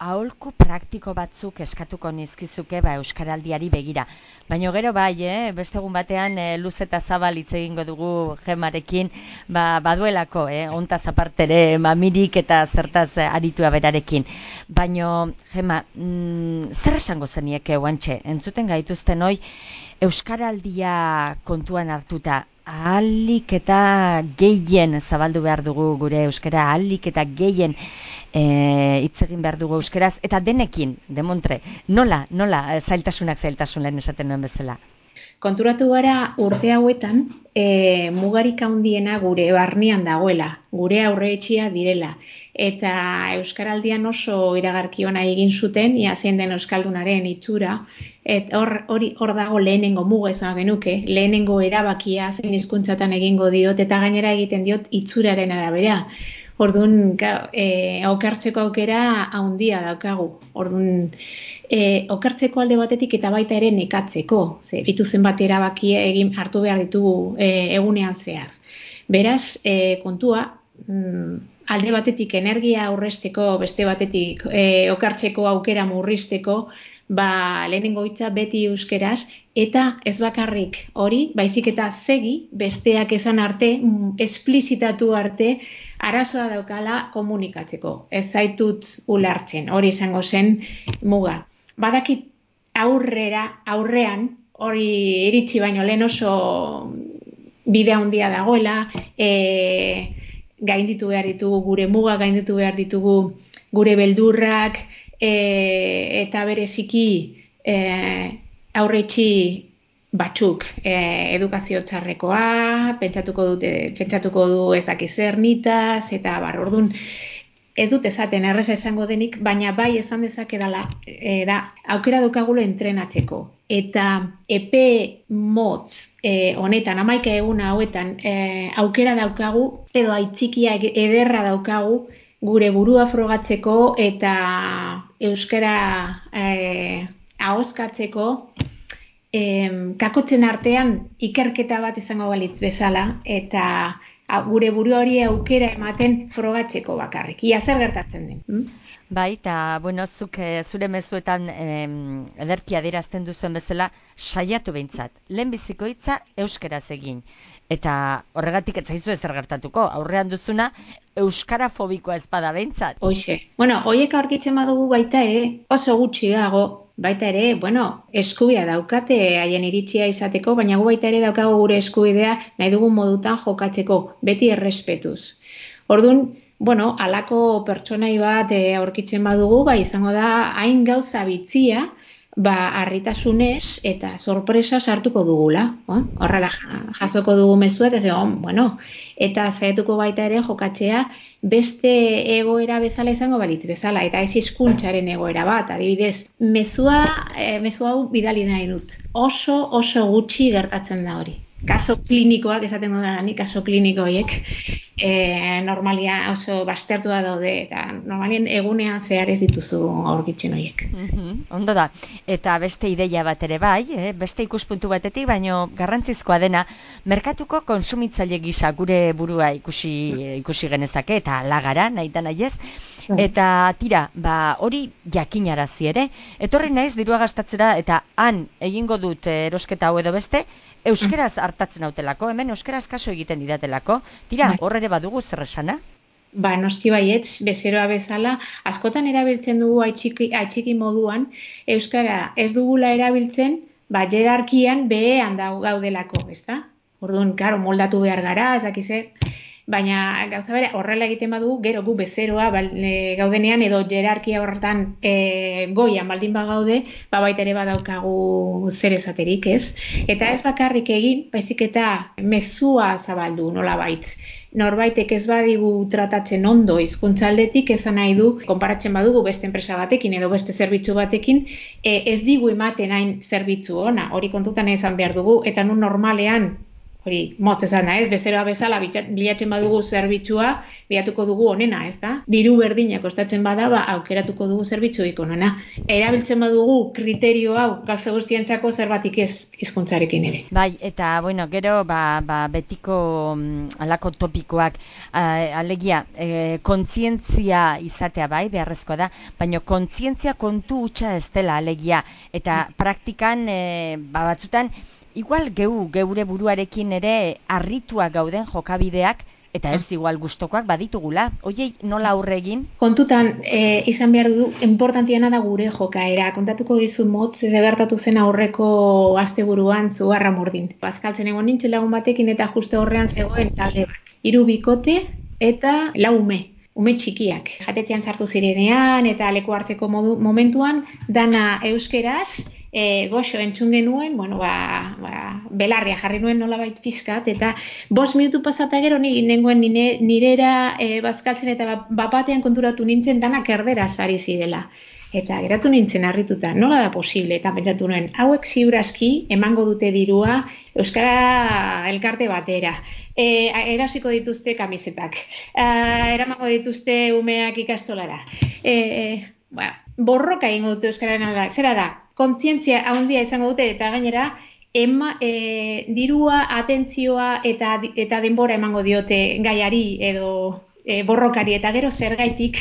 [SPEAKER 1] aholku praktiko batzuk eskatuko nizkizuke ba, Euskaraldiari begira. Baina gero bai, eh, beste egun batean eh, luz eta zabal hitz egingo dugu Gemarekin, ba, baduelako, eh, ontaz apartere mamirik eta zertaz aritua berarekin. Baina, Gema, mm, zer esango zenieke oantxe, entzuten gaituzten hoi, Euskaraldia kontuan hartuta, ahalik eta gehien zabaldu behar dugu gure euskara, ahalik eta gehien hitz egin behar dugu euskeraz, eta denekin, demontre, nola, nola, zailtasunak zailtasun lehen esaten nuen bezala?
[SPEAKER 7] Konturatu gara urte hauetan, e, mugarik handiena gure barnean dagoela, gure aurreetxia direla, eta Euskaraldian oso iragarki ona egin zuten, ia zein den euskaldunaren itxura, et hor, hori hor dago lehenengo muga esan genuke, lehenengo erabakia zein hizkuntzatan egingo diot, eta gainera egiten diot itxuraren arabera. Orduan, e, okertzeko aukera handia daukagu. Orduan, e, okertzeko alde batetik eta baita ere nekatzeko. Ze, bitu zenbat erabakia egin hartu behar ditugu e, egunean zehar. Beraz, e, kontua, mm, alde batetik energia aurrezteko, beste batetik e, okertzeko aukera murrizteko, ba, lehenengo hitza beti euskeraz, eta ez bakarrik hori, baizik eta segi, besteak esan arte, esplizitatu arte, arazoa daukala komunikatzeko. Ez zaitut ulertzen, hori izango zen muga. Badakit aurrera, aurrean, hori iritsi baino lehen oso bide handia dagoela, e, gainditu behar ditugu gure muga, gainditu behar ditugu gure beldurrak, e, eta bereziki e, aurretxi batzuk e, edukazio txarrekoa, pentsatuko dute, pentsatuko du ez dakiz zer nitaz, eta bar, orduan ez dut esaten erreza esango denik, baina bai esan dezake dela, e, da, aukera daukagulo entrenatzeko. Eta epe motz e, honetan, hamaika egun hauetan, e, aukera daukagu, edo aitzikia ederra daukagu, gure burua frogatzeko eta euskara e, ahoskatzeko, E, kakotzen artean ikerketa bat izango balitz bezala eta gure buruari aukera ematen frogatzeko bakarrik. Ia zer gertatzen den. Hm?
[SPEAKER 1] Bai, eta, bueno, zuk e, zure mezuetan e, ederki adierazten duzuen bezala, saiatu behintzat. Lehenbiziko hitza euskeraz egin. Eta horregatik ez zaizu ezer gertatuko, aurrean duzuna euskarafobikoa ez bada behintzat.
[SPEAKER 7] Hoixe. Bueno, hoiek aurkitzen badugu baita ere, oso gutxi dago, baita ere, bueno, eskubidea daukate haien iritzia izateko, baina gu baita ere daukago gure eskubidea nahi dugun modutan jokatzeko, beti errespetuz. Orduan, bueno, halako pertsonai bat e, aurkitzen badugu, ba, izango da hain gauza bitzia, ba, harritasunez eta sorpresa sartuko dugula. Oh? Horrela jasoko dugu mezua, eta ze, oh, bueno, eta zaiatuko baita ere jokatzea beste egoera bezala izango balitz bezala, eta ez hizkuntzaren egoera bat, adibidez, mezua, e, mezua hau bidali nahi dut. Oso, oso gutxi gertatzen da hori. Kaso klinikoak, esaten dut ni, kaso kliniko horiek, e, normalia oso bastertua daude, eta normalien egunean zehar ez dituzu aurkitzen horiek.
[SPEAKER 1] Mm-hmm. Ondo da, eta beste ideia bat ere bai, eh? Beste ikuspuntu batetik, baino garrantzizkoa dena, merkatuko konsumitzaile gisa gure burua ikusi, ikusi genezake, eta lagara, nahi da nahi ez, eta tira, ba, hori jakinarazi ere, etorri naiz dirua gastatzera, eta han egingo dut erosketa hau edo beste, euskeraz hartatzen hautelako, hemen euskeraz kaso egiten didatelako, tira, hor ere badugu zer esana?
[SPEAKER 7] Ba, noski baietz, bezeroa bezala, askotan erabiltzen dugu aitxiki, aitxiki moduan, euskara ez dugula erabiltzen, ba, jerarkian behean da gaudelako, ezta? Orduan, karo, moldatu behar gara, ez dakize, baina gauza bere, horrela egiten badugu, gero gu bezeroa bal, e, gaudenean edo jerarkia horretan e, goian baldin bagaude, ba baita ere badaukagu zer esaterik, ez? Eta ez bakarrik egin, baizik eta mezua zabaldu nolabait. Norbaitek ez badigu tratatzen ondo hizkuntzaldetik, esan nahi du, konparatzen badugu beste enpresa batekin edo beste zerbitzu batekin, e, ez digu ematen hain zerbitzu ona, hori kontutan esan behar dugu, eta nun normalean, hori, motz esan da, ez, bezeroa bezala bilatzen badugu zerbitzua, bilatuko dugu onena, ez da? Diru berdina kostatzen bada, ba, aukeratuko dugu zerbitzuik onena. Erabiltzen badugu kriterio hau, gauza guztientzako zerbatik ez hizkuntzarekin ere.
[SPEAKER 1] Bai, eta, bueno, gero, ba, ba betiko um, alako topikoak, uh, alegia, eh, kontzientzia izatea bai, beharrezkoa da, baina kontzientzia kontu hutsa ez dela, alegia, eta praktikan, eh, ba, batzutan, igual geu, geure buruarekin ere harrituak gauden jokabideak, eta ez igual gustokoak baditugula. Oiei, nola aurre egin?
[SPEAKER 7] Kontutan, e, izan behar du, importantiana da gure jokaera. Kontatuko dizu motz, gertatu zen aurreko asteburuan zu Arramurdin. Bazkaltzen egon nintzen lagun batekin eta justo horrean zegoen talde bat. Hiru bikote eta lau ume. Ume txikiak. Jatetxean sartu zirenean eta leku hartzeko modu, momentuan, dana euskeraz, E, goxo entzun genuen, bueno, ba, ba, belarria jarri nuen nolabait pizkat, eta bost minutu pasata gero ni nengoen nire, nirera e, bazkaltzen eta bapatean konturatu nintzen danak erderaz ari zirela. Eta geratu nintzen harrituta, nola da posible, eta pentsatu nuen, hauek ziurazki emango dute dirua euskara elkarte batera. E, erasiko dituzte kamisetak, e, eramango dituzte umeak ikastolara. E, e, ba, borroka egingo dute euskararen alda, zera da, kontzientzia handia izango dute eta gainera ema, e, dirua, atentzioa eta, eta denbora emango diote gaiari edo e, borrokari eta gero zergaitik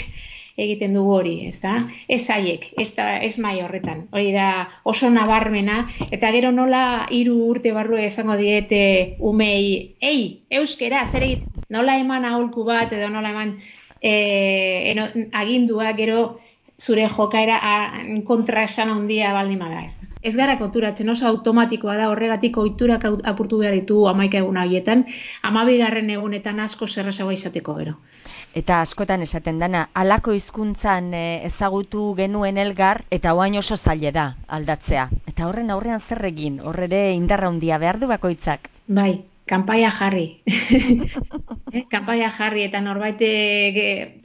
[SPEAKER 7] egiten dugu hori, ezta? Ez haiek, ez, da, ez mai horretan. Hori da oso nabarmena eta gero nola hiru urte barru esango diete umei, ei, euskera, zer egiten? Nola eman aholku bat edo nola eman e, eno, agindua gero zure jokaera kontra esan handia baldin bada, ez. Ez gara konturatzen, oso automatikoa da, horregatik ohiturak apurtu behar ditu hamaika egun horietan, hamabigarren egunetan asko zerrazagoa izateko gero.
[SPEAKER 1] Eta askotan esaten dana, halako hizkuntzan ezagutu genuen elgar, eta oain oso zaile da aldatzea. Eta horren aurrean zer egin, horre indarra handia behar du bakoitzak.
[SPEAKER 7] Bai. Kanpaia jarri. eh, kanpaia jarri eta norbait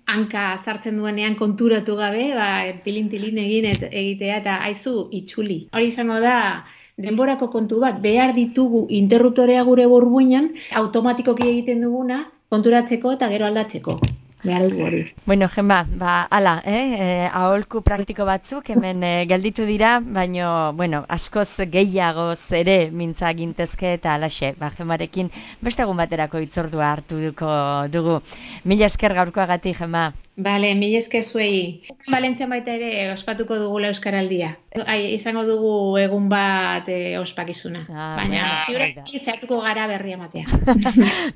[SPEAKER 7] hanka sartzen duenean konturatu gabe, ba, tilin-tilin egin et, egitea eta aizu itzuli. Hori izango da denborako kontu bat, behar ditugu interruptorea gure burbuinan, automatikoki egiten duguna konturatzeko eta gero aldatzeko. behar dugu hori.
[SPEAKER 1] Bueno, Gemma, ba, ala, eh? E, aholku praktiko batzuk hemen e, gelditu dira, baino, bueno, askoz gehiagoz ere mintza gintezke eta alaxe, ba, Gemmarekin beste egun baterako hitzordua hartu duko dugu. Mila esker gaurkoagatik, Gemma.
[SPEAKER 7] Bale, mila esker zuei. Valentzian baita ere ospatuko dugula Euskaraldia. Ai, izango dugu egun bat e, ospakizuna. Ah, baina, ziurazki zehatuko gara berria matea.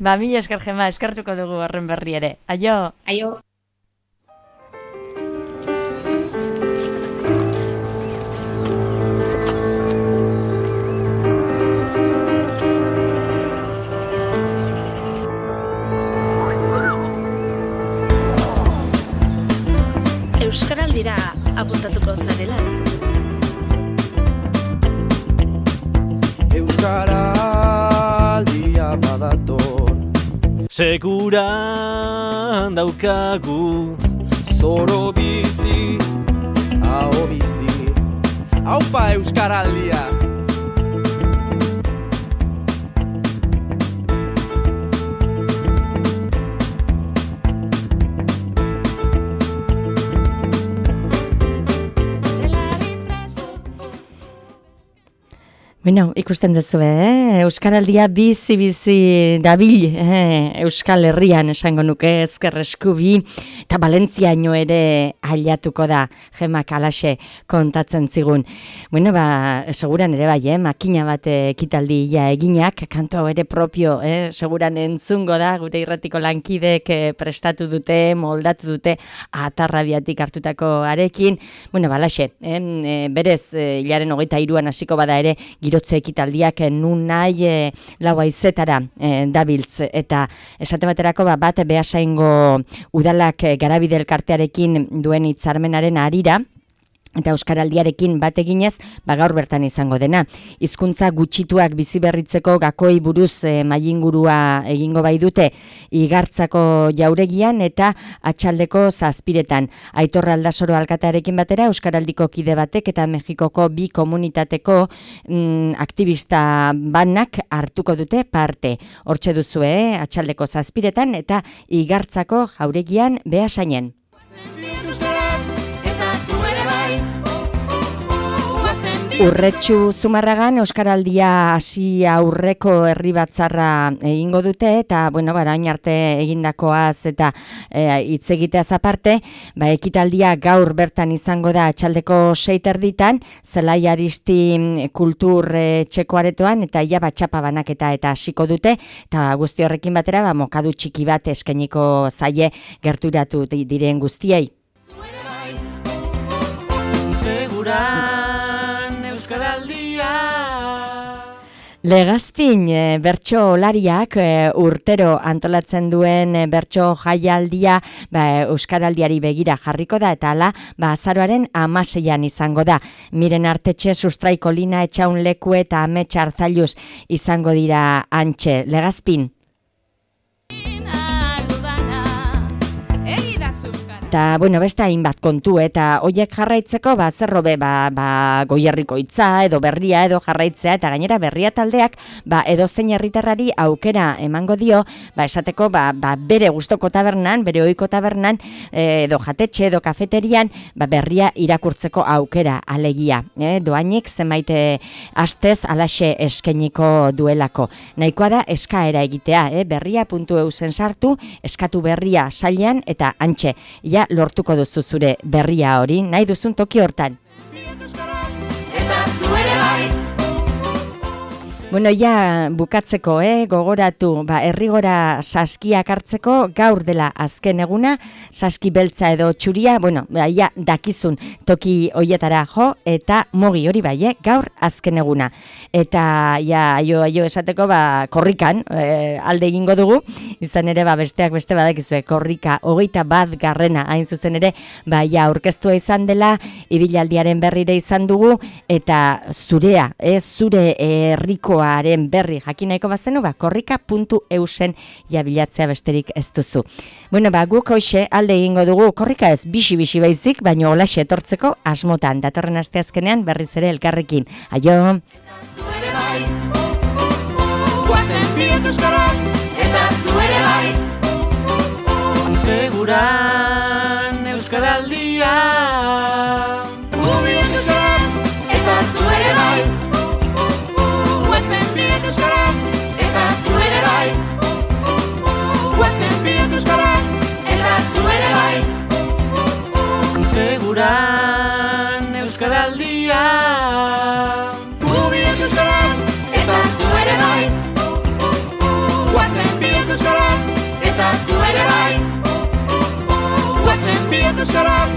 [SPEAKER 1] Ba, mila esker, Gemma, eskertuko dugu horren berri ere. Aio!
[SPEAKER 7] Aio!
[SPEAKER 8] Euskaraldira apuntatuko zarela.
[SPEAKER 9] Euskaraldia badator,
[SPEAKER 10] seguran daukagu
[SPEAKER 9] zoro bizi, aho bizi, haupa Euskaraldia.
[SPEAKER 1] Bueno, ikusten duzu, eh? Euskaraldia bizi-bizi dabil, eh? Euskal Herrian esango nuke ezkerreskubi, eta Valentziaino ere ailatuko da, Gemak alaxe kontatzen zigun. Bueno, ba, seguran ere bai, eh? Makina bat ekitaldi ja eginak, kantu hau ere propio, eh? Seguran entzungo da, gure irratiko lankidek eh, prestatu dute, moldatu dute, atarrabiatik hartutako arekin. Bueno, ba, alaxe, eh? Berez, eh, hilaren hogeita hiruan hasiko bada ere, girotze ekitaldiak nun nahi e, lau haizetara e, dabiltz. Eta esate baterako ba, bat Beasaingo udalak e, Garabide elkartearekin duen hitzarmenaren harira, eta Euskaraldiarekin bat eginez, ba gaur bertan izango dena. Hizkuntza gutxituak bizi berritzeko gakoi buruz e, mailingurua egingo bai dute Igartzako jauregian eta Atxaldeko zazpiretan. Aitor Aldasoro alkatearekin batera Euskaraldiko kide batek eta Mexikoko bi komunitateko mm, aktivista banak hartuko dute parte. Hortxe duzue, eh? Atxaldeko zazpiretan eta Igartzako jauregian Beasainen. Urretxu Zumarragan Euskaraldia hasi aurreko herri batzarra egingo dute eta bueno, barain arte egindakoaz eta hitz e, egiteaz aparte, ba ekitaldia gaur bertan izango da Atxaldeko sei terditan, Zelai Aristi kultur e, txeko aretoan eta ia batxapa banaketa eta hasiko dute eta guzti horrekin batera ba mokadu txiki bat eskainiko zaie gerturatu diren guztiei.
[SPEAKER 8] Segura Euskaraldia.
[SPEAKER 1] Legazpin e, bertso olariak e, urtero antolatzen duen e, bertso jaialdia ba, Euskaraldiari begira jarriko da eta hala ba, azaroaren hamaseian izango da. Miren Artetxe, Sustraiko Lina, Etxaun Leku eta Amets Arzailuz izango dira antxe. Legazpin. Eta, bueno, beste hainbat kontu, eta hoiek jarraitzeko, ba, zerrobe, ba, ba, Goierriko hitza, edo berria, edo jarraitzea, eta gainera berria taldeak, ba, edo zein herritarrari aukera emango dio, ba, esateko, ba, ba, bere gustoko tabernan, bere ohiko tabernan, edo jatetxe, edo kafeterian, ba, berria irakurtzeko aukera, alegia. Eh? Doainik zenbait astez alaxe eskeniko duelako. Nahikoa da eskaera egitea, eh? berria puntu eu zen sartu, eskatu berria sailean, eta antxe, ja lortuko duzu zure berria hori, nahi duzun toki hortan. Bueno, ja bukatzeko, eh, gogoratu, ba, herrigora saskiak hartzeko gaur dela azken eguna, saski beltza edo txuria, bueno, ba, ja dakizun toki hoietara jo, eta mogi hori bai, eh, gaur azken eguna. Eta ja aio, aio esateko, ba, korrikan eh, alde egingo dugu, izan ere, ba, besteak beste badakizue, korrika hogeita bat garrena, hain zuzen ere, ba, ja aurkeztua izan dela, ibilaldiaren berrire izan dugu, eta zurea, eh, zure herriko aren berri jakinaiko bazenu, ba, korrika puntu eusen jabilatzea besterik ez duzu. Bueno, ba, guk hoxe alde egingo dugu, korrika ez bixi-bixi baizik, baina holaxe etortzeko asmotan, datorren asteazkenean berriz ere elkarrekin. Aio! Eta zu ere bai!
[SPEAKER 8] seguran Euskaraldia.
[SPEAKER 11] Gubiak euskaraz, eta zu ere bai. Guazen biak euskaraz, eta zu ere bai. Guazen biak euskaraz, eta zu ere bai.
[SPEAKER 8] Seguran Euskaraldia.
[SPEAKER 11] Gubiak euskaraz, eta zu ere bai. Guazen biak euskaraz, eta zu ere bai. Guazen biak euskaraz,